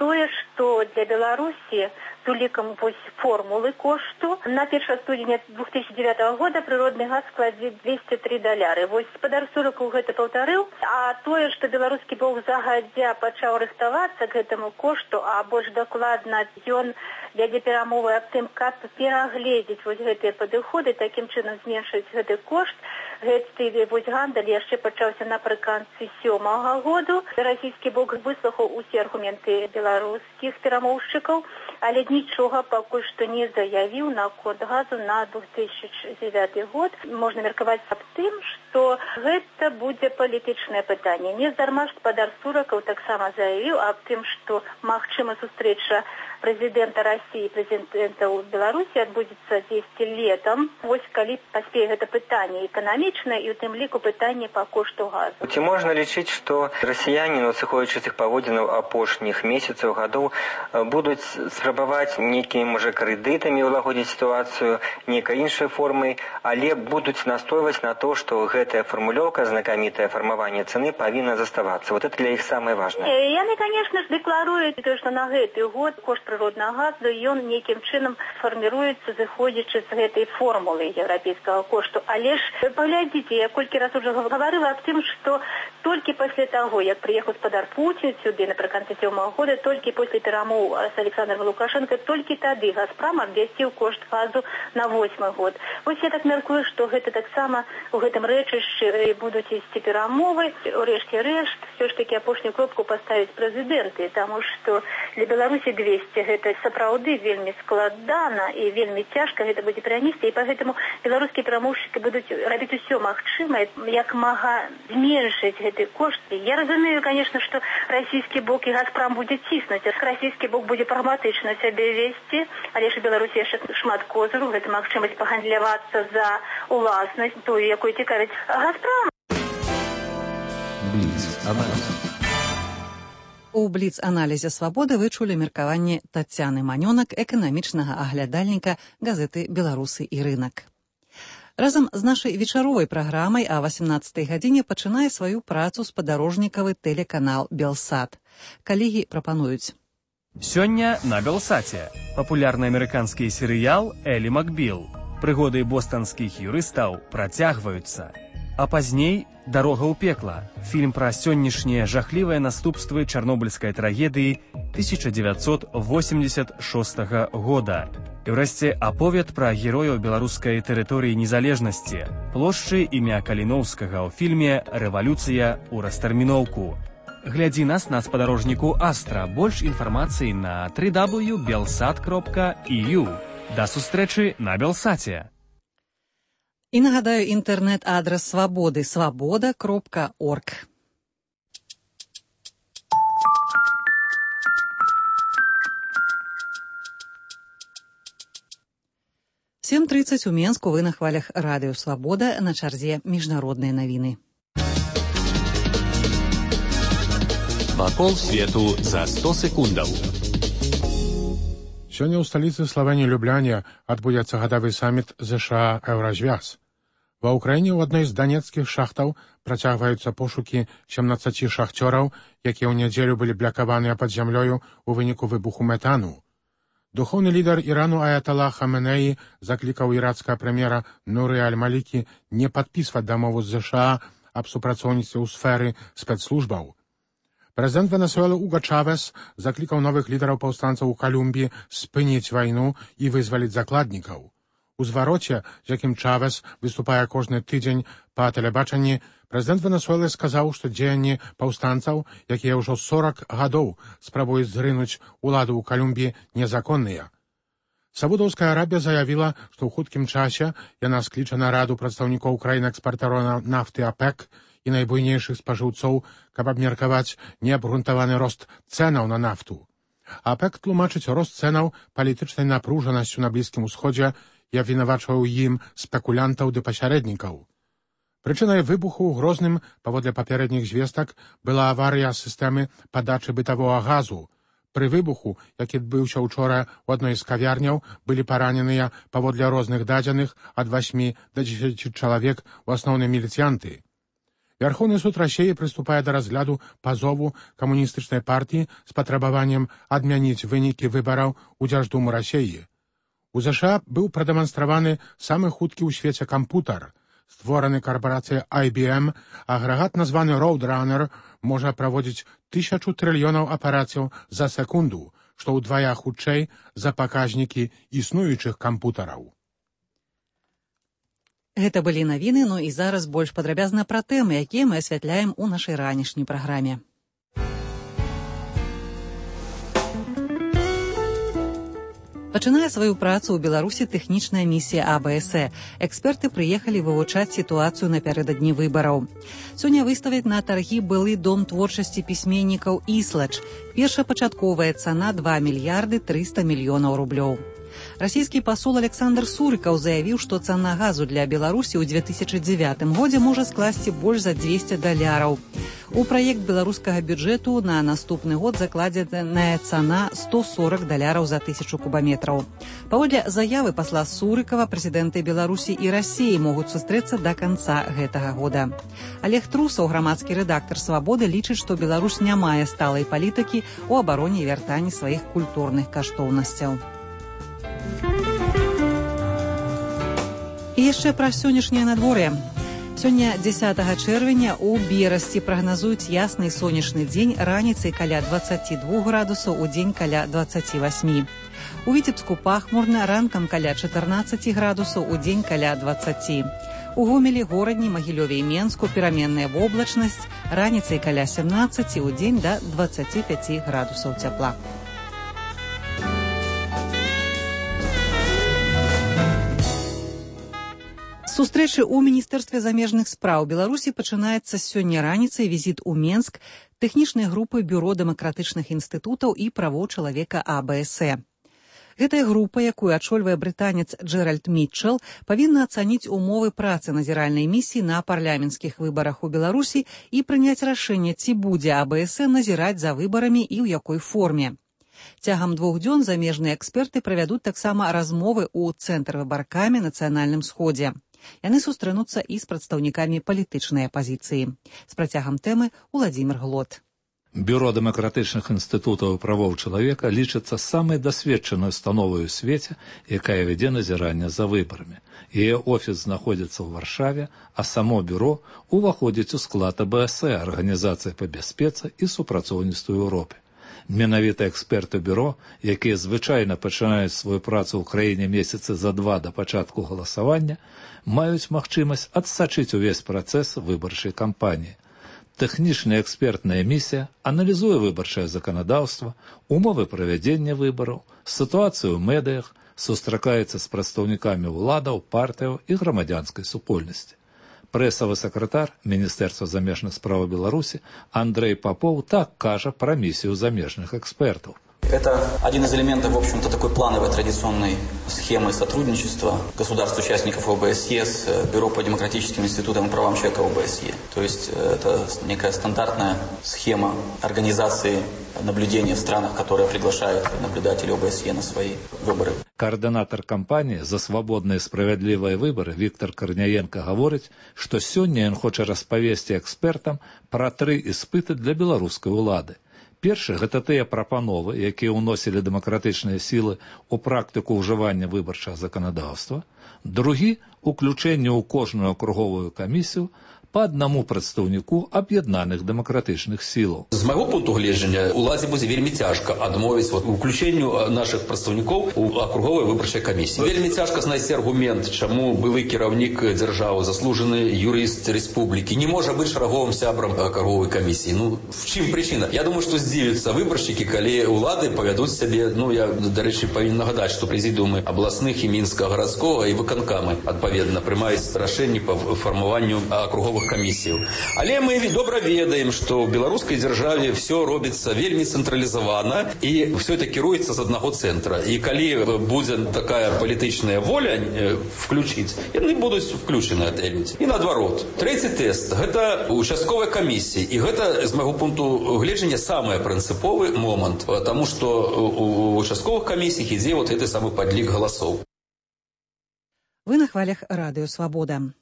тое, што для Беларусі з улікам формулы кошту на першае студзеня две тысячи девятого года прыродны газ складзе двести три даляры. Вось гаспадар Сурыков гэта паўтарыў, а тое, што беларускі бок загадзя пачаў рыхтавацца к гэтаму кошту, а больш дакладна ён вядзе перамовы аб тым, каб перагледзець вось гэтыя падыходы, такім чынам зменшыць гэты кошт. Гэты вось гандаль яшчэ пачаўся напрыканцы сёмага году. Расійскі бок выслухаў усе аргументы беларускіх перамоўшчыкаў, але нічога пакуль што не заявіў на код газу на две тысячи девятый год. Можна меркаваць аб тым, што гэта будзе палітычнае пытанне. Нездарма гаспадар Сурыков таксама заявіў аб тым, што магчыма сустрэча прэзідэнта России и прэзідэнта Беларусі адбудзецца дзесьці летом. Вось калі паспее гэта пытанне эканамічнае і ў тым ліку пытанне па кошту газу. Ці можна лічыць, што расіяне, надсыходзячы з іх паводзінаў апошніх месяцаў гадоў, будуць спрабаваць нейкімі, можа, крэдытамі ўлагодзіць сітуацыю, нейкай іншай формай, але будуць настойваць на то, што гэтая фармулёўка, знакамітае фармаванне цаны, павінна заставацца. Вот это для іх самае важнае. Яны, конечно ж, дэкларуюць, што на гэты год кошт прыроднага газу ён нейкім чынам фарміруецца, зыходзячы з гэтай формулы еўрапейскага кошту. Але ж паглядзіце, я колькі раз уже гаварыла аб тым, што толькі пасля таго, як прыехаў гаспадар Пуцін сюды напрыканцы сёмага года, толькі пасля перамоў з Александром Лукашенко, толькі тады Газпром абвясціў кошт газу на восьмы год. Вось я так мяркую, што гэта таксама у гэтым рэчышчы будуць ісці перамовы. Урэшце рэшт, все ж таки апошнюю кропку паставіць прэзідэнты, таму што для Беларусі двести гэта сапраўды вельмі складана і вельмі цяжка гэта будзе перанесці, і поэтому беларускія перамоўшчыкі будуць рабіць усё магчымае, як мага зменшыць гэты кошт. Я разумею, конечно, што расійскі бок і Газпром будзе ціснуць, а расійскі бок будзе прагматычна сябе весці, але ж Беларусі яшчэ шмат козыру, гэта магчымасць пагандлявацца за уласнасць, тую, якую цікавіць Газпром. У бліц-аналізе «Свабоды» вы чулі меркаванне Тацяны Манёнак, эканамічнага аглядальніка газеты «Беларусы і рынок». Разам з нашай вечаровай праграмай а васемнаццатай гадзіне пачынае сваю працу спадарожнікавы тэлеканал «Белсат». Калегі прапануюць. Сёння на Белсаце папулярны амерыканскі серыял «Элі Макбіл». Прыгоды бостанскіх юрыстаў працягваюцца. А пазней «Дарога ў пекла» – фільм пра сённяшнія жахлівыя наступствы чарнобыльскай трагедыі тысяча дзевяцьсот восемьдесят шостага года. І ўрэшце аповед пра герояў беларускай тэрыторыі незалежнасці, плошчы імя Каліноўскага ў фільме «Рэвалюцыя ў растэрміноўку». Глядзі нас на спадарожніку Астра. Больш інфармацыі на дабл ю дабл ю крапка белсат крапка і ю. Да сустрэчы на Белсаце. І нагадаю, інтэрнэт-адрас Свабоды – свабода крапка орг. сем тридцать у Менску, вы на хвалях радыё «Свабода», на чарзе міжнародныя навіны. Вакол свету за сто секундаў. Сёння ў сталіцы Славэніі Любляне адбудзецца гадавы саміт ЗША «Еўразвяз». Ва ўкраіне ў адной з данецкіх шахтаў працягваюцца пошукі сямнаццаці шахцёраў, якія ў нядзелю былі блякаваныя пад зямлёю ў выніку выбуху метану. Духоўны лідар Ірану Аятала Хаменеі заклікаў ірацкага прэм'ера Нуры Аль-Малікі не падпісваць дамову з ЗША аб супрацоўніцтве ў сферы спецслужбаў. Прэзідэнт Венесуэлы Уга Чавес заклікаў новых лідараў паўстанцаў у Калумбіі спыніць вайну і вызваліць закладнікаў. У звароце, з якім Чавес выступае кожны тыдзень па тэлебачанні, прэзідэнт Венесуэлы сказаў, што дзеянні паўстанцаў, якія ўжо сорак гадоў спрабуюць зрынуць уладу ў Калумбіі, незаконныя. Саудаўская Арабія заявіла, што ў хуткім часе яна скліча нараду прадстаўнікоў краін-экспартараў нафты АПЭК і найбуйнейшых спажыўцоў, каб абмеркаваць неабгрунтаваны рост цэнаў на нафту. АПЭК тлумачыць рост цэнаў палітычнай напружанасцю на Блізкім Усходзе і абвінавачваў ім спекулянтаў ды пасярэднікаў. Прычынай выбуху ў Грозным, паводле папярэдніх звестак, была аварыя сістэмы падачы бытавога газу. Пры выбуху, які адбыўся учора ў адной з кавярняў, былі параненыя, паводле розных дадзеных, ад васьмі да дзесяці чалавек, у асноўным міліцыянты. Верховны суд Расіі прыступае да разгляду пазову камуністычнай партыі з патрабаваннем адмяніць вынікі выбараў у Дзярждуму Расіі. У ЗША быў прадэманстраваны самы хуткі ў свеце кампутар. Створаны карпорацыяй ай би эм, агрэгат, названы Roadrunner, можа праводзіць тысячу трыльёнаў аперацыяў за секунду, што ўдвая хутчэй за паказнікі існуючых кампутараў. Гэта былі навіны, ну і зараз больш падрабязна пра тэмы, якія мы асвятляем у нашай ранішняй праграме. Пачынае сваю працу ў Беларусі тэхнічная місія а бэ эс э. Эксперты прыехалі вывучаць сітуацыю напярэдадні выбараў. Сёння выставяць на таргі былы дом творчасці пісьменнікаў «Іслач». Першапачатковая цана два мільярды трыста мільёнаў рублёў. Расійскі пасол Александр Сурыкаў заявіў, што цана газу для Беларусі ў две тысячы дзевятым годзе можа скласці больш за дзвесце даляраў. У праект беларускага бюджэту на наступны год закладзеная цана сто сорок даляраў за тысячу кубаметраў. Паводле заявы пасла Сурыкава, прэзідэнты Беларусі і Расіі могуць сустрэцца да канца гэтага года. Олег Трусаў, грамадскі рэдактар «Свабоды», лічыць, што Беларусь не мае сталай палітыкі ў абароне і вяртанні сваіх культурных каштоўнасцяў. І яшчэ пра сённяшняе надвор'е. Сёння дзесятага чэрвеня у Берасці прагназуюць ясны сонечны дзень, раніцай каля дваццаці двух градусаў, удзень каля дваццаці васьмі. У Віцебску пахмурна, ранкам каля чатырнаццаці градусаў, удзень каля дваццаці. У Гомелі, Горадні, Магілёве і Менску пераменная воблачнасць, раніцай каля сямнаццаці, удзень да дваццаці пяці градусаў цяпла. Сустрэчы ў Міністэрстве замежных спраў Беларусі пачынаецца сёння раніцай візіт у Менск тэхнічнай групы Бюро дэмакратычных інстытутаў і правоў чалавека а бэ эс э. Гэтая група, якую ачольвае брытанец Джеральд Мітчел, павінна ацаніць умовы працы назіральнай місіі на парламенцкіх выбарах у Беларусі і прыняць рашэнне, ці будзе а бэ эс э назіраць за выбарамі і ў якой форме. Цягам двух дзён замежныя эксперты правядуць таксама размовы ў цэнтр выбаркамі нацыянальным сходзе. Яны сустрэнуцца і з прадстаўнікамі палітычнай апазіцыі. З працягам тэмы Уладзімір Глот. Бюро дэмакратычных інстытутаў і правоў чалавека лічыцца самай дасведчанай установай у свеце, якая вядзе назіранне за выбарамі. Яе офіс знаходзіцца ў Варшаве, а само бюро уваходзіць у склад а бэ эс э, Арганізацыі па бяспецы і супрацоўніцтву Еўропе. Менавіта эксперты бюро, якія звычайна пачынаюць сваю працу ў краіне месяцы за два да пачатку галасавання, маюць магчымасць адсачыць увесь працэс выбарчай кампаніі. Тэхнічная экспертная місія аналізуе выбарчае заканадаўства, умовы правядзення выбараў, сітуацыю ў медыях, сустракаецца з прадстаўнікамі ўладаў, партыяў і грамадзянскай супольнасці. Прэсавы сакратар Міністэрства замежных спраў Беларусі Андрэй Попоў так кажа пра місію замежных экспертаў. Это один из элементов, в общем-то, такой плановой традиционной схемы сотрудничества государств-участников о бэ эс е с Бюро по демократическим институтам и правам человека о бэ эс е. То есть это некая стандартная схема организации наблюдения в странах, которые приглашают наблюдателей о бэ эс е на свои выборы. Координатор кампании за свободные и справедливые выборы Виктор Корняенко говорит, что сегодня он хочет распавесці экспертам про три испыты для белорусской улады. Першы – гэта тыя прапановы, якія ўносілі дэмакратычныя сілы ў практыку ўжывання выбарчага заканадаўства. Другі – уключэнне ў кожную акруговую камісію по аднаму прадстаўніку аб'яднаных дэмакратычных сілаў. З майго пункту гледжання уладзе будзе вельмі цяжка адмовіць вот, уключэнню нашых прадстаўнікоў у акруговай выбарчай камісіі. Вельмі цяжка знайсці аргумент, чаму былы кіраўнік дзяржавы, заслужаны юрыст рэспублікі не можа быць шараговым сябрам акруговай камісіі. Ну, в чым прычына? Я думаю, што здзівяцца выбаршчыкі, калі ўлады павядуць сябе, ну, я, дарэчы, павінен нагадаць, што прэзідыумы абласных і мінскага гарадскога і выканкамы, адпаведна, прымаюць рашэнні па фармаванню акруговых камісіяў. Але мы добра ведаем, што ў беларускай дзяржаве все робіцца вельмі цэнтралізавана і все это кіруецца з аднаго цэнтра. І калі будзе такая палітычная воля включыць, яны будуць включены гэтыя людзі. І наадварот. Трэці тэст – гэта участковая камісія. І гэта, з майго пункту гледжання, самы прынцыповы момант, таму што у участковых камісіях ідзе вот гэты самы падлік галасоў. Вы на хвалях радыё «Свабода».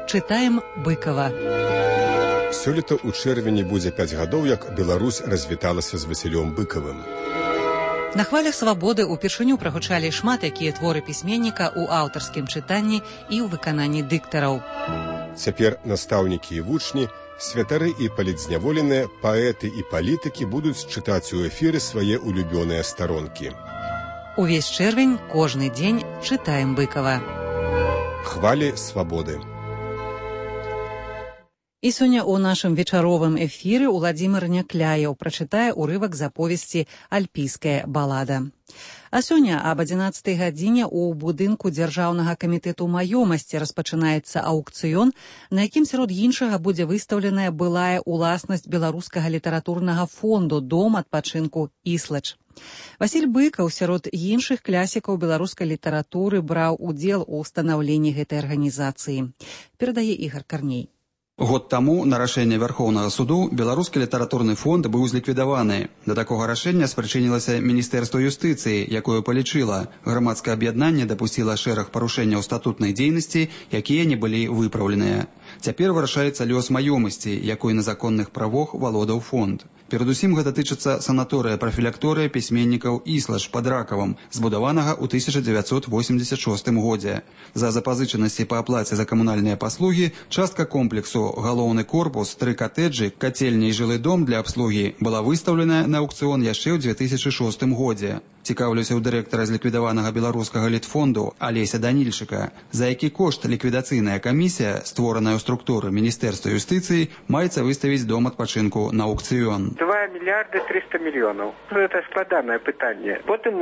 Чытаем Быкова. Сёлета ў чэрвені будзе пяць гадоў, як Беларусь развіталася з Васілём Быкавым. На хвалях «Свабоды» упершыню прагучалі шмат якія творы пісьменніка ў аўтарскім чытанні і ў выкананні дыктараў. Цяпер настаўнікі і вучні, святары і палітзняволеныя, паэты і палітыкі будуць чытаць у эфіры свае улюбёныя старонкі. Увесь чэрвень, кожны дзень чытаем Быкава. Хвалі «Свабоды». І сёння ў нашым вечаровым эфіры Уладзімир Някляеў прачытае ўрывак з аповесці «Альпійская балада». А сёння аб адзінаццатай гадзіне ў будынку Дзяржаўнага камітэту маёмасці распачынаецца аўкцыён, на якім сярод іншага будзе выстаўленая былая ўласнасць беларускага літаратурнага фонду «Дом адпачынку Іслач». Васіль Быкаў сярод іншых класікаў беларускай літаратуры браў удзел у станаўленні гэтай арганізацыі. Перадае Ігар Карней. Год таму на рашэнне Вярхоўнага суду беларускі літаратурны фонд быў зліквідаваны. Да такога рашэння спрычынілася Міністэрства юстыцыі, якое палічыла. Грамадскае аб'яднанне дапусціла шэраг парушэнняў статутнай дзейнасці, якія не былі выпраўленыя. Цяпер вырашаецца лёс маёмасці, якой на законных правах валодаў фонд. Перадусім гэта тычыцца санаторыя-прафілякторыя пісьменнікаў Іслач пад Ракавам, збудаванага ў тысяча дзевяцьсот восемьдесят шостым годзе. За запазычанасці па аплаце за камунальныя паслугі частка комплексу галоўны корпус, тры катэджы, кацельня і жылы дом для абслугі была выстаўлена на аўкцыён яшчэ ў дзве тысячы шостым годзе. Цікаўлюся ў дырэктара з ліквідаванага беларускага літфонду Алеся Данільчыка, за які кошт ліквідацыйная камісія, створаная ў структуры Міністэрства юстыцыі, маецца выставіць дом адпачынку на аўкцыён. два мільярды трыста мільёнаў. Гэта складанае пытанне. Потым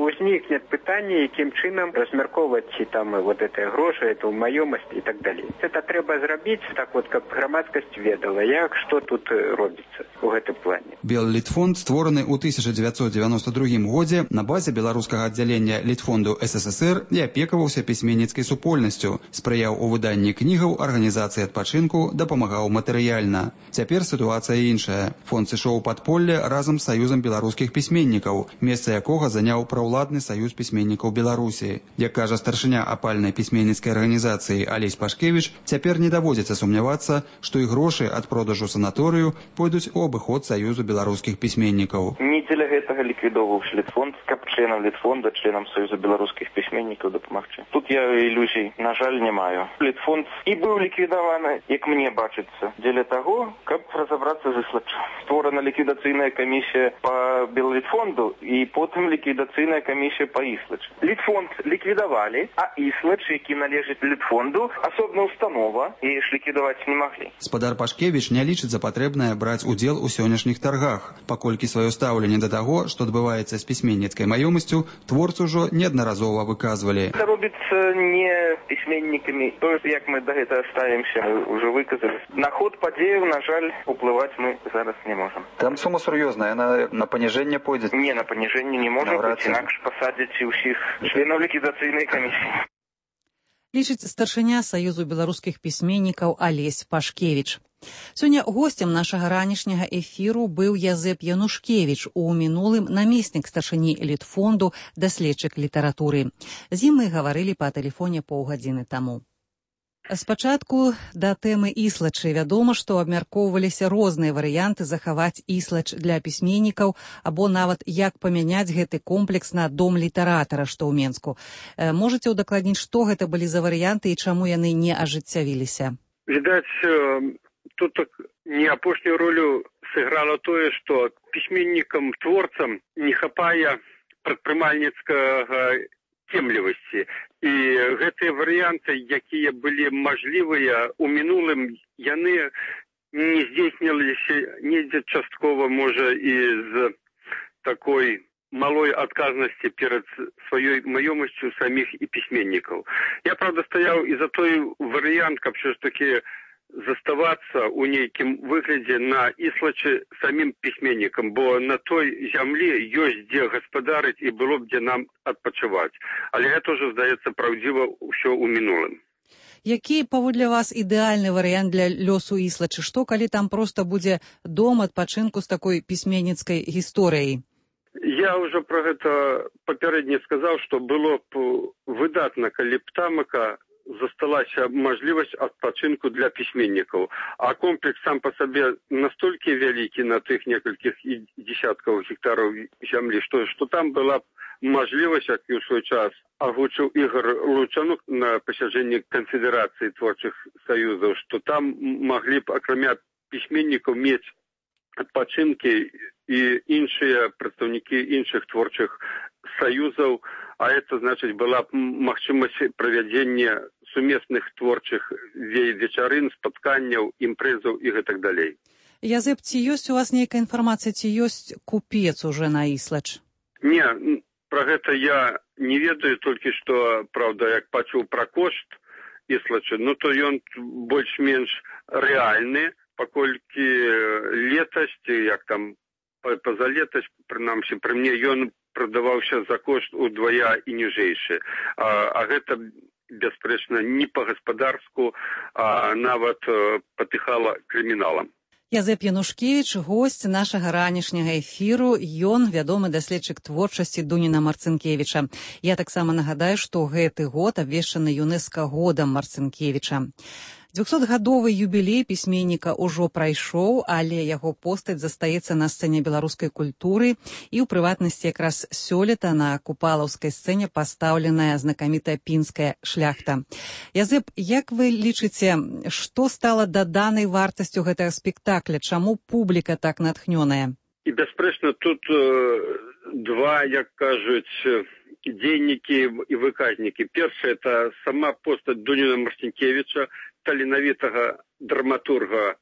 узнікне пытанне, якім чынам размяркоўваць ці там вот гэтыя грошы, эту маёмасць і так далей. Гэта трэба зрабіць так вот, каб грамадскасць ведала, як што тут робіцца ў гэтым плане. Беллітфонд створаны ў тысяча дзевяцьсот дзевяноста другім годзе на базе беларускага аддзялення Літфонду эс эс эс эр і апекаваўся пісьменніцкай супольнасцю, спрыяў у выданні кнігаў, арганізацыі арганізацыі адпачынку дапамагаў матэрыяльна. Цяпер сітуацыя іншая. Фонд сышоў у падполле разам з Саюзам беларускіх пісьменнікаў, месца якога заняў праўладны Саюз пісьменнікаў Беларусі. Як кажа старшыня апальнай пісьменніцкай арганізацыі Алесь Пашкевіч, цяпер не даводзіцца сумнявацца, што і грошы ад продажу санаторыю пойдуць у абыход Саюзу беларускіх пісьменнікаў. Не дзеля гэтага ліквідоўваўся літфонд, каб членам літфонда, членам Саюза беларускіх пісьменнікаў дапамагчы. Тут я ілюзій, на жаль, не маю. Літфонд і быў ліквідаваны, як мне бачыцца, дзеля таго, каб разабрацца з іслачам. Створана ліквідацыйная камісія па Беллітфонду і потым ліквідацыйная камісія па іслач. Літфонд ліквідавалі, а іслач, які належыць літфонду, асобна установа, і ж ліквідаваць не маглі. Спадар Пашкевіч не лічыць за патрэбнае браць удзел у сённяшніх таргах, паколькі сваё стаўленне да таго, што адбываецца з пісьменніцкай маёмасцю, творцы ўжо неаднаразова выказвалі. Гэта робіцца не пісьменнікамі. То, як мы да гэтага ставімся, мы ўжо выказалі. На ход падзеяў, на жаль, уплываць мы зараз не можам. Там сума сур'ёзная, яна на паніжэнне пойдзе? Не, на паніжэнне не можа быць, інакш пасадзяць і ўсіх членаў ліквідацыйнай камісіі. Лічыць старшыня Саюзу беларускіх пісьменнікаў Алесь Пашкевіч. Сёння госцем нашага ранішняга эфіру быў Язэп Янушкевіч, у мінулым намеснік старшыні Літфонду, даследчык літаратуры. З ім мы гаварылі па тэлефоне паўгадзіны таму. Спачатку да тэмы іслачы вядома, што абмяркоўваліся розныя варыянты захаваць іслач для пісьменнікаў або нават як памяняць гэты комплекс на дом літаратара, што ў Менску. Можаце ўдакладніць, што гэта былі за варыянты і чаму яны не ажыццявіліся? Відаць, тут не апошнюю ролю сыграла тое, што пісьменнікам-творцам не хапае прадпрымальніцкага цемлівасці. І гэтыя варыянты, якія былі мажлівыя ў мінулым, яны не здзейсніліся недзе часткова, можа, і з такой малой адказнасці перад сваёй маёмасцю саміх і пісьменнікаў. Я, правда, стаяў і за той варыянт, каб все ж таки заставацца ў нейкім выглядзе на іслачы самім пісьменнікам, бо на той зямлі ёсць дзе гаспадарыць і было б дзе нам адпачываць. Але гэта ўжо, здаецца, праўдзіва ўсё ў мінулым. Які, паводле вас, ідэальны варыянт для лёсу іслачы? Што, калі там проста будзе дом адпачынку з такой пісьменніцкай гісторыяй? Я ўжо пра гэта папярэдне сказаў, што было б выдатна, калі б тамака засталася мажлівасць адпачынку для пісьменнікаў. А комплекс сам па сабе настолькі вялікі на тых некалькіх десяткаў гектараў зямлі, што, што там была б мажлівасць, як і ў свой час агучыў Ігор Лучанук на пасяджэнні канфедэрацыі творчых саюзаў, што там маглі б, акрамя пісьменнікаў, мець адпачынкі і іншыя прадстаўнікі іншых творчых саюзаў, а это, значыць, была б магчымасць правядзення сумесных творчых вечарын, спатканняў, імпрэзаў і гэтак далей. Язэп, ці ёсць у вас нейкая інфармацыя, ці ёсць купец уже на іслач? Не, пра гэта я не ведаю, толькі што, правда, як пачуў пра кошт іслача, ну то ён больш-менш рэальны, паколькі летась, як там пазалетась, прынамсі, пры мне ён прадаваўся за кошт удвая і ніжэйшы. А, а гэта, бясспрэчна, не па-гаспадарску, а нават патыхала крыміналам. Язэп Янушкевіч, госць нашага ранішняга эфіру, ён вядомы даследчык творчасці Дуніна Марцынкевіча. Я таксама нагадаю, што гэты год абвешчаны ЮНЕСКО годам Марцынкевіча. двухсотгадовы юбілей пісьменніка ўжо прайшоў, але яго постаць застаецца на сцэне беларускай культуры, і ў прыватнасці якраз сёлета на купалаўскай сцэне пастаўленая знакамітая пінская шляхта. Язэп, як вы лічыце, што стала даданай вартасцю гэтага спектакля? Чаму публіка так натхнёная? І, бясспрэчна, тут э, два, як кажуць, дзейнікі і выказнікі. Першае, это сама постаць Дуніна Марцінкевіча, таленавітага драматурга,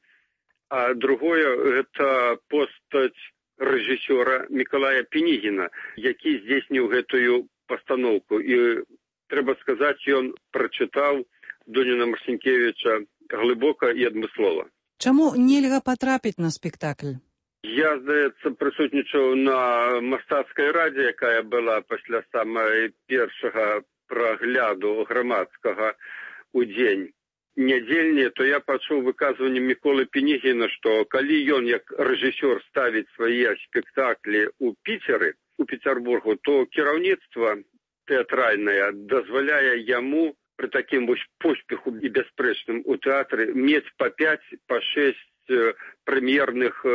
а другое, гэта постаць рэжысёра Мікалая Пінігіна, які здзейсніў гэтую пастаноўку. І, трэба сказаць, ён прачытаў Дуніна Марцінкевіча глыбока і адмыслова. Чаму нельга патрапіць на спектакль? Я, здаецца, прысутнічаў на мастацкай радзе, якая была пасля самай першага прагляду грамадскага ў дзень нядзельныя, то я пачуў выказванне Міколы Пенігіна, што калі ён як рэжысёр ставіць свае спектаклі ў Піцеры, у Петербургу, то кіраўніцтва тэатральнае дазваляе яму пры такім вось поспеху і бясспрэчным у тэатры мець па пяць, па шэсць прэм'ерных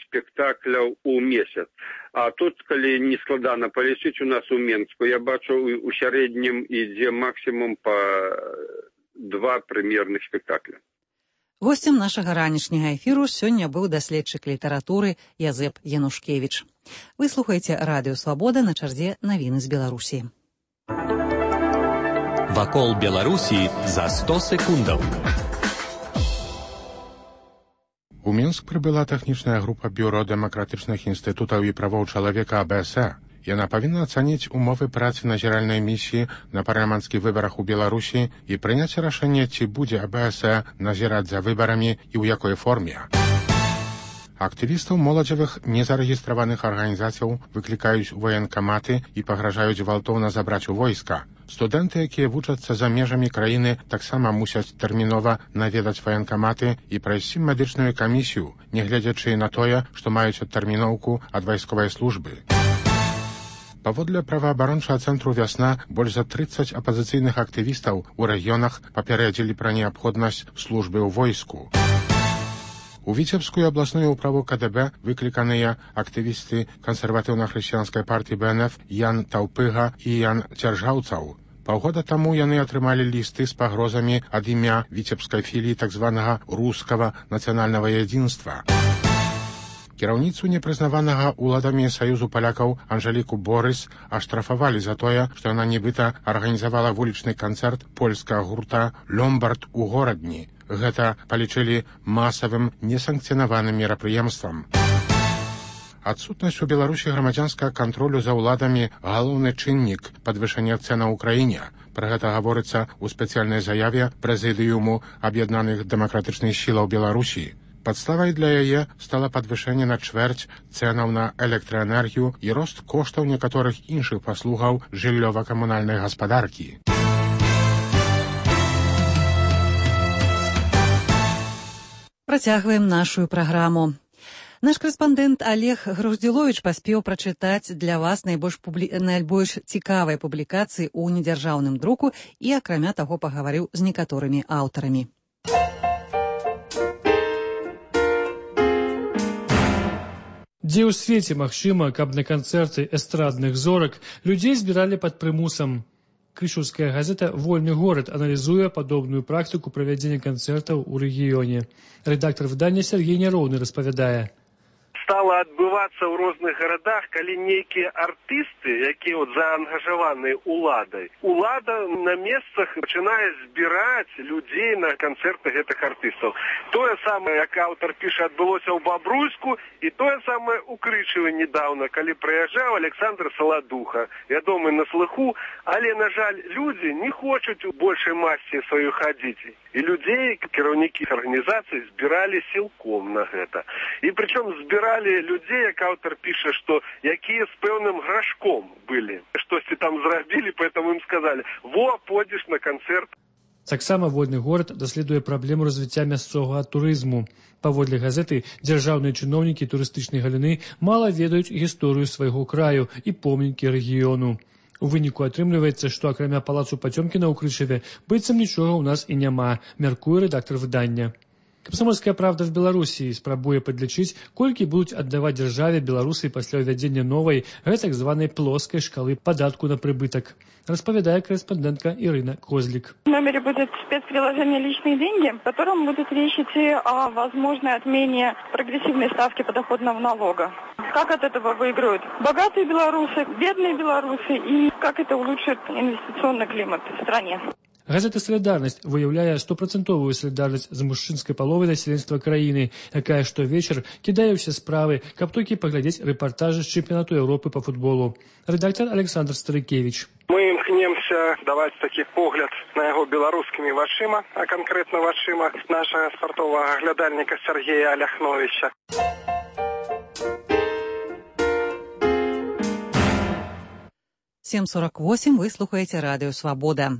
спектакляў у месяц. А тут, калі не складана палічыць у нас у Менску, я бачу, у сярэднім ідзе максімум па два прэм'ерных спектакля. Гостем нашага ранішняга эфіру сёння быў даследчык літаратуры Язэп Янушкевіч. Вы слухаеце Радыё Свабода, на чарзе навіны з Беларусі. Вакол Беларусі за сто секундаў. У Мінск прыбыла тэхнічная група Бюро дэмакратычных інстытутаў і правоў чалавека А Б С Э. Яна павінна ацаніць умовы працы назіральнай місіі на парламенцкіх выбарах у Беларусі і прыняць рашэнне, ці будзе А Б С Э назіраць за выбарамі і ў якой форме. Актывістаў моладзевых незарэгістраваных арганізацыяў выклікаюць у ваенкаматы і пагражаюць гвалтоўна забраць у войска. Студэнты, якія вучацца за межамі краіны, таксама мусяць тэрмінова наведаць ваенкаматы і прайсці медычную камісію, нягледзячы на тое, што маюць адтэрміноўку ад вайсковай службы. Паводле праваабарончага цэнтру «Вясна» больш за трыццаць апазіцыйных актывістаў у рэгіёнах папярэдзілі пра неабходнасць службы ў войску. У Віцебскую абласную ўправу К Д Б выкліканыя актывісты кансерватыўна-хрысціянскай партыі Б Н Ф Ян Таўпыга і Ян Цяржаўцаў. Паўгода таму яны атрымалі лісты з пагрозамі ад імя віцебскай філіі так званага рускага нацыянальнага ядзінства. Кіраўніцу непрызнаванага ўладамі Саюзу палякаў Анжеліку Борыс аштрафавалі за тое, што яна нібыта арганізавала вулічны канцэрт польскага гурта «Ломбард» у горадні. Гэта палічылі масавым несанкцыянаваным мерапрыемствам. Адсутнасць у Беларусі грамадзянскага кантролю за ўладамі – галоўны чыннік падвышэння цэнаў у краіне. Пра гэта гаворыцца ў спецыяльнай заяве Прэзідыуму аб'яднаных дэмакратычных сілаў Беларусі. Падставай для яе стала падвышэнне на чвэрць цэнаў на электраэнергію і рост коштаў некаторых іншых паслугаў жыллёва-камунальнай гаспадаркі. Працягваем нашу праграму. Наш корэспандэнт Олег Груздзіловіч паспеў прачытаць для вас найбольш, публі... найбольш цікавыя публікацыі ў недзяржаўным друку і, акрамя таго, пагаварыў з некаторымі аўтарамі. Дзе ў свеце магчыма, каб на канцэрты эстрадных зорак людзей збіралі пад прымусам? Крышаўская газета «Вольны горад» аналізуе падобную практыку правядзення канцэртаў у рэгіёне. Рэдактар выдання Сергей Няроўны распавядае. Стала адбывацца ў розных гарадах, калі нейкія артысты, якія от заангажаваныя уладай, улада на месцах пачынае збіраць людзей на канцэрты гэтых артыстаў. Тое самае, як аўтар піша, адбылося ў Бабруйску, і тое самае ў Крычаве недаўна, калі прыязджаў Александр Саладуха, вядомы на слыху, але, на жаль, людзі не хочуць у большай масці сваёй хадзіць. І людзей, кіраўнікі арганізацый збіралі сілком на гэта. І прычым збіралі людзей, як аўтар піша, што якія з пэўным грашком былі. Штосьці там зрабілі, поэтому ім сказалі: «Во, пойдзеш на канцэрт». Таксама «Вольны горад» даследуе праблему развіцця мясцовага турызму. Паводле газеты, дзяржаўныя чыноўнікі турыстычнай галіны мала ведаюць гісторыю свайго краю і помнікі рэгіёну. У выніку атрымліваецца, што акрамя палацу Пацёмкіна ў Крычаве быццам нічога ў нас і няма, мяркуе рэдактар выдання. Камсамольская правда в Беларусі спрабуе падлічыць, колькі будуць аддаваць дзяржаве беларусы пасля ўвядзення новай, гэтак званай плоскай шкалы падатку на прыбытак. Распавядае корэспондентка Ирина Козлик. В номере будет спецприложение «Личные деньги», в котором будет речь идти о возможной отмене прогрессивной ставки подоходного налога. Как от этого выиграют богатые белорусы, бедные белорусы и как это улучшит инвестиционный климат в стране. Газета «Солидарность» выяўляе стопроцентовую солідарнасць з мужчынскай паловай насельніцтва краіны, якая штовечар кідае ўсе справы, каб толькі паглядзець рэпартажы з чэмпіянату Еўропы па футболу. Рэдактор Александр Старыкевич. Мы імкнемся даваць такі погляд на яго беларускімі вачыма, а канкрэтна вачыма нашага спартовага глядальніка Сергея Аляхновича. сем сорок восемь, вы слухаеце Радыё Свабода.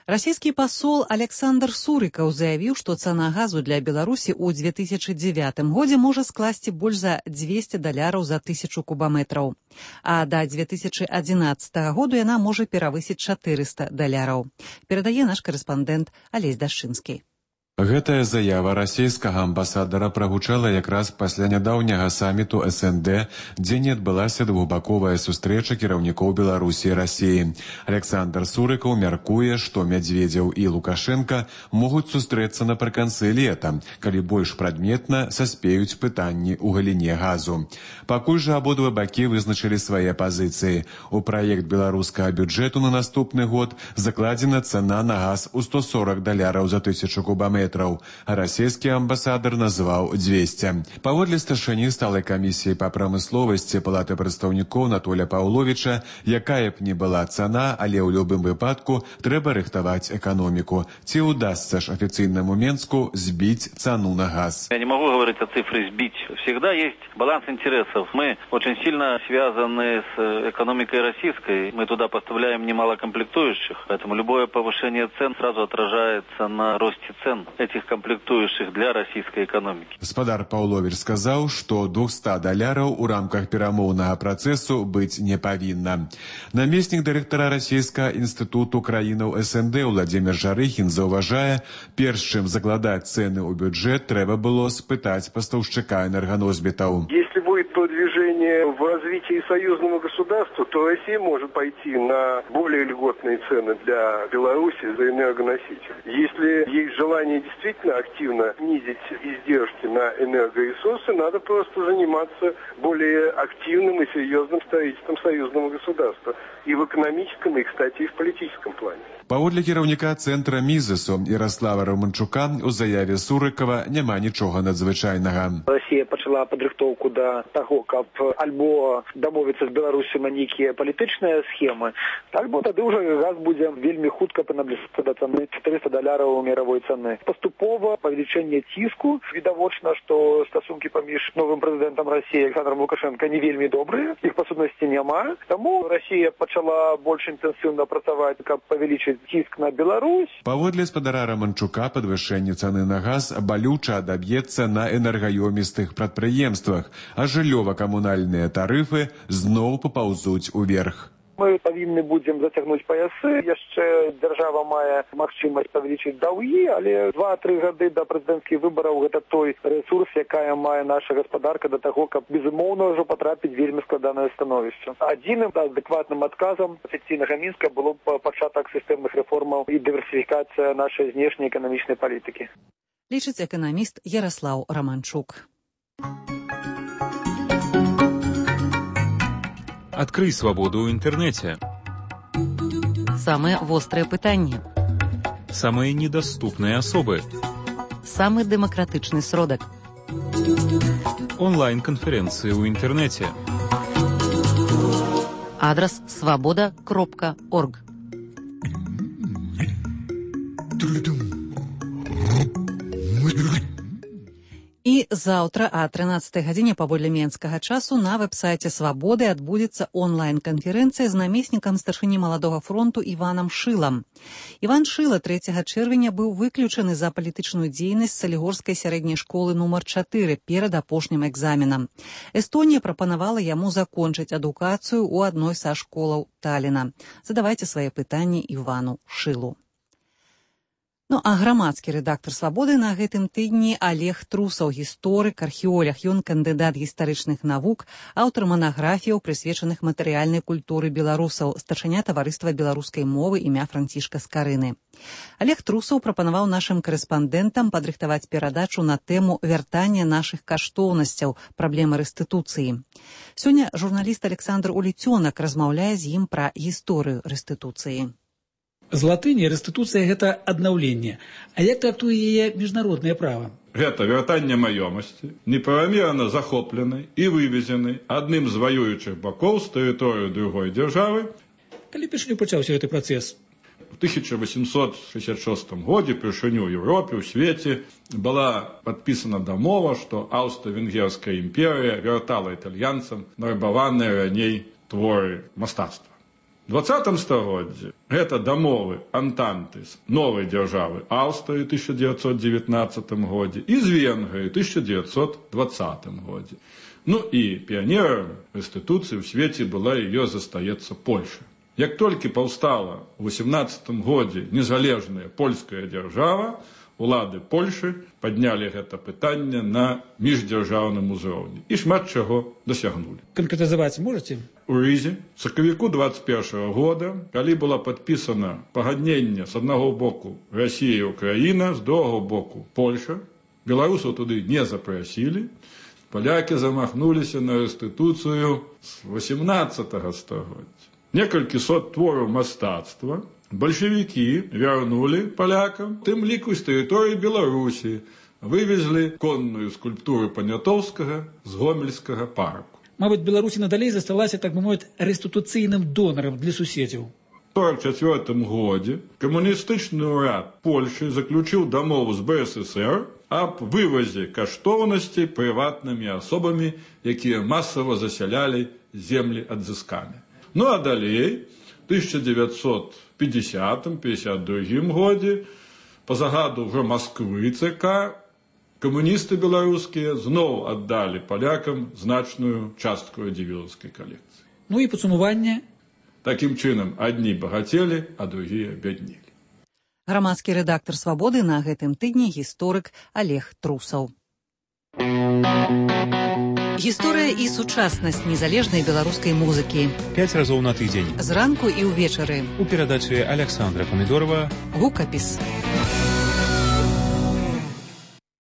Расійскі пасол Александр Сурыкаў заявіў, што цана газу для Беларусі ў две тысячы дзевятым годзе можа скласці больш за дзвесце даляраў за тысячу кубаметраў, а да две тысячы адзінаццатага году яна можа перавысіць чатырыста даляраў. Перадае наш карэспандэнт Алесь Дашчынскі. Гэтая заява расійскага амбасадара прагучала якраз пасля нядаўняга саміту эс эн дэ, дзе не адбылася двухбаковая сустрэча кіраўнікоў Беларусі і Расіі. Александр Сурыкаў мяркуе, што Мядзведзеў і Лукашенка могуць сустрэцца напрыканцы лета, калі больш прадметна саспеюць пытанні ў галіне газу. Пакуль жа абодва бакі вызначылі свае пазіцыі. У праект беларускага бюджэту на наступны год закладзена цана на газ у сто сорок даляраў за тысячу кубаметраў, а расійскі амбасадар назваў дзвесце. Паводле старшыні сталай камісіі па прамысловасці Палаты прадстаўнікоў Анатоля Паўловіча, якая б не была цана, але ў любым выпадку трэба рыхтаваць эканоміку. Ці ўдасца ж афіцыйнаму Менску збіць цану на газ? Я не могу говорить о цифре «сбить». Всегда есть баланс интересов. Мы очень сильно связаны с экономикой российской. Мы туда поставляем немало комплектующих, поэтому любое повышение цен сразу отражается на росте цен этих комплектующих для российской экономики. Гаспадар Паўловіч сказаў, што двухсот даляраў у рамках перамоўнага працэсу быць не павінна. Намеснік дырэктара расійскага інстытуту краінаў эс эн дэ Владзімір Жарыхін заўважае, перш чым закладаць цэны ў бюджэт, трэба было спытаць пастаўшчыка энерганосьбітаў. Если будет продвижение в развитии союзного государства, то Россия может пойти на более льготные цены для Беларуси за энергоносители. Если есть желание действительно активно снизить издержки на энергоресурсы, надо просто заниматься более активным и серьезным строительством союзного государства и в экономическом, и, кстати, и в политическом плане. Паводле кіраўніка цэнтра Мізесу Ярослава Романчука у заяве Сурыкава няма нічога надзвычайнага. Россия пачала падрыхтоўку да таго, каб альбо дамовіцца з Беларусю на нейкія палітычныя схемы, альбо тады ўжо газ будзе вельмі хутка набліжацца да цаны чатырыста даляраў мировой цаны. Паступова павелічэнне ціску, відавочна, што стасункі паміж новым прэзідэнтам Расіі Александром Лукашенко не вельмі добрыя, іх па сутнасці няма. Таму Расія пачала больш інтэнсіўна працаваць, каб павялічыць ціск на Беларусь. Паводле гаспадара Романчука, падвышэнне цаны на газ балюча адаб'ецца на энергаёмістых прадпрыемствах, а жыллёва-камунальныя тарыфы зноў папаўзуць уверх. Мы павінны будзем зацягнуць паясы. Яшчэ дзяржава мае магчымасць павялічыць даўгі, але два-тры гады да прэзідэнцкіх выбараў гэта той рэсурс, якая мае наша гаспадарка да таго, каб безумоўна ўжо патрапіць вельмі складанае становішча. Адзіным адэкватным адказам афіцыйнага Мінска было б пачатак сістэмных рэформаў і дыверсіфікацыя нашай знешняй эканамічнай палітыкі. Лічыць эканаміст Ярослаў Романчук. Открый свободу ў інтэрнэце. Самыя вострыя пытанні. Самыя недаступныя асобы. Самы дэмакратычны сродак. Онлайн-канферэнцыі ў інтэрнэце. Адрас свабода кропка орг. І заўтра а трынаццатай гадзіне паводле менскага часу на вэб-сайце Свабоды адбудзецца онлайн-канферэнцыя з намеснікам старшыні маладога фронту Іванам Шылам. Іван Шыла трэцяга чэрвеня быў выключаны за палітычную дзейнасць салігорскай сярэдняй школы нумар чатыры перад апошнім экзаменам. Эстонія прапанавала яму закончыць адукацыю ў адной са школаў Таліна. Задавайце свае пытанні Івану Шылу. Ну, а грамадскі рэдактар «Свабоды» на гэтым тыдні Олег Трусаў, гісторык, археолог, ён кандыдат гістарычных навук, аўтар манаграфіяў, прысвечаных матэрыяльнай культуры беларусаў, старшыня таварыства беларускай мовы імя Францішка Скарыны. Олег Трусаў прапанаваў нашым карэспандэнтам падрыхтаваць перадачу на тэму вяртання нашых каштоўнасцяў, праблемы рэстытуцыі. Сёння журналіст Александр Уліцёнак размаўляе з ім пра гісторыю рэстытуцыі. З латыні рэстытуцыя – гэта аднаўленне. А як трактуе яе міжнароднае права? Гэта вяртанне маёмасці, неправамерна захопленай і вывезенай адным з ваюючых бакоў з тэрыторыі другой дзяржавы. Калі першыню пачаўся гэты працэс? В тысяча восемьсот шестьдесят шестом годзе першыню ў Еўропе, ў свеце была падпісана дамова, што Аўстра-Венгерская імперыя вяртала італьянцам нарабаваныя раней творы мастацтва. двадцатым стагоддзі гэта дамовы антанты з новай дзяржавы Аўстрыі тысяча девятьсот девятнадцатым годзе і з Венгрыі тысяча девятьсот двадцатым годзе. Ну і піянерам рэстытуцыі ў свеце была і ёсць застаецца Польша. Як толькі паўстала ў восемнадцатым годзе незалежная польская дзяржава, улады Польшы паднялі гэта пытанне на міждзяржаўным узроўні і шмат чаго дасягнулі. Канкрэтызаваць можаце? У Рызе в сакавіку двадцать першага года, калі было падпісана пагадненне з аднаго боку Расія і Украіна, з другога боку Польша, беларусаў туды не запрасілі, палякі замахнуліся на рэстытуцыю з восемнадцатага стагоддзя. Некалькі сот твораў мастацтва бальшавікі вярнулі палякам, тым ліку з тэрыторыі Беларусі, вывезлі конную скульптуру Панятоўскага з Гомельскага парку. Мабыць, Беларусь надалей засталася, так бы мовіць, рэстытуцыйным донарам для суседзяў. У сорок чацвёртым годзе камуністычны ўрад Польшы заключыў дамову з Бэ Эс Эс Эр аб вывазе каштоўнасцей прыватнымі асобамі, якія масава засялялі землі адзыскамі. Ну а далей, в тысяча девятьсот пятидесятым — пятьдесят другім годзе, па загаду ўжо Масквы Цэ Ка, камуністы беларускія зноў аддалі палякам значную частку радзівілаўскай калекцыі. Ну і падсумаванне. Такім чынам, адні багацелі, а другія бяднелі. Грамадскі рэдактар «Свабоды» на гэтым тыдні гісторык Олег Трусаў. Гісторыя і сучаснасць незалежнай беларускай музыкі. Пяць разоў на тыдзень. Зранку і ўвечары. У перадачы Александра Памідорова. Гукапіс.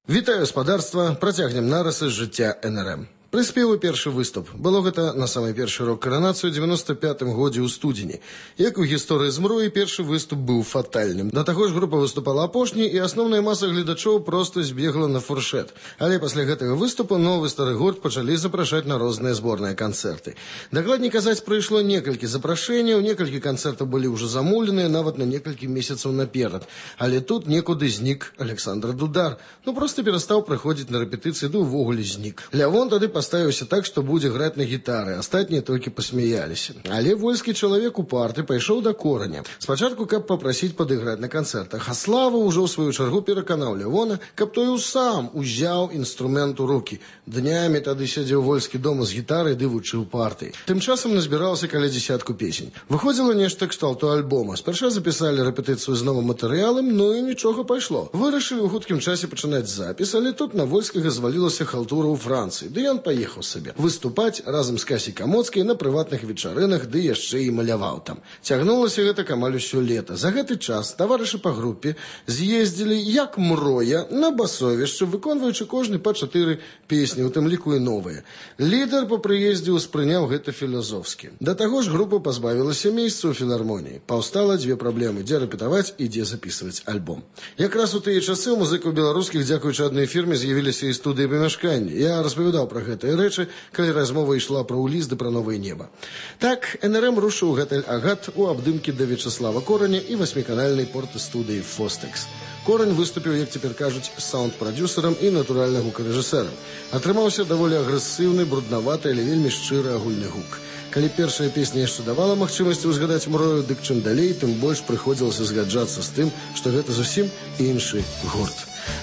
Вітаю, спадарства. Працягнем нарысы з жыцця Эн Эр Эм. Прыспеў першы выступ. Было гэта на самай першы рок-каранацыю ў девяносто пятым годзе ў студзені. Як у гісторыі змроі, першы выступ быў фатальным. Да таго ж група выступала апошняй, і асноўная маса гледачоў проста збегла на фуршэт. Але пасля гэтага выступу новы стары гурт пачалі запрашаць на розныя зборныя канцэрты. Дакладней казаць, прыйшло некалькі запрашэнняў, некалькі канцэртаў былі ўжо замоўленыя нават на некалькі месяцаў наперад. Але тут некуды знік Александр Дудар. Ну проста перастаў прыходзіць на рэпетыцыі, ды ўвогуле знік. Лявон тады ставіўся так, што будзе граць на гітары, астатнія толькі пасмяяліся. Але вольскі чалавек упарты пайшоў да кораня. Спачатку, каб папрасіць падыграць на канцэртах, а Слава ўжо ў сваю чаргу пераканаў Лявона, каб той сам узяў інструмент у рукі. Днямі тады сядзеў вольскі дома з гітарай ды вучыў партыі. Тым часам назбіралася каля дзесятку песень. Выходзіла нешта кшталту альбома. Спярша запісалі рэпетыцыю з новым матэрыялам, ну і нічога пайшло. Вырашылі ў хуткім часе пачынаць запіс, але тут на вольскага звалілася халтура ў Францыі. Ды ён паехаў сабе выступаць разам з Касей Камоцкай на прыватных вечарынах, ды яшчэ і маляваў там. Цягнулася гэта амаль усё лета. За гэты час таварышы па групе з'ездзілі як мроя на басовішча, выконваючы кожны па чатыры песні, у тым ліку і новыя. Лідар па прыездзе ўспрыняў гэта філазофскі. Да таго ж група пазбавілася месца ў філармоніі. Паўстала дзве праблемы: дзе рэпетаваць і дзе запісваць альбом. Якраз у тыя часы у музыкаў беларускіх, дзякуючы адной фірме, з'явіліся і студыі памяшкання. Я распавядаў пра гэтыя рэчы, калі размова ішла пра ўліз ды пра новае неба. Так, Эн Эр Эм рушыў гатэль «Агат» у абдымкі да Вячаслава Кораня і васьміканальнай порта-студыі «Фостекс». Корань выступіў, як цяпер кажуць, саунд-прадюсерам і, натуральна, гукарэжысэрам. Атрымаўся даволі агрэсыўны, бруднаваты, але вельмі шчыры агульны гук. Калі першая песня яшчэ давала магчымасць узгадаць мрою, дык чым далей, тым больш прыходзілася згаджацца з тым, што гэта зусім іншы гурт.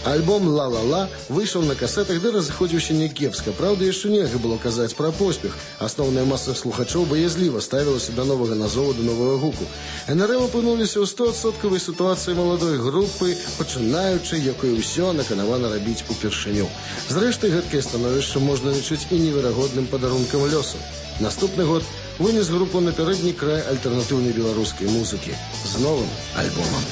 Альбом «Ла-ла-ла» выйшаў на касетах, ды разыходзіўся някепска. Праўда, яшчэ нельга было казаць пра поспех. Асноўная маса слухачоў баязліва ставілася да новага назову, да новага гуку. Эн Эр Эм апынуліся ў стоадсоткавай сітуацыі маладой групы, пачынаючы, якое ўсё наканавана рабіць упершыню. Зрэшты, гэткае становішча можна лічыць і неверагодным падарункам лёсу. Наступны год вынес групу на пярэдні край альтэрнатыўнай беларускай музыкі з новым альбомам.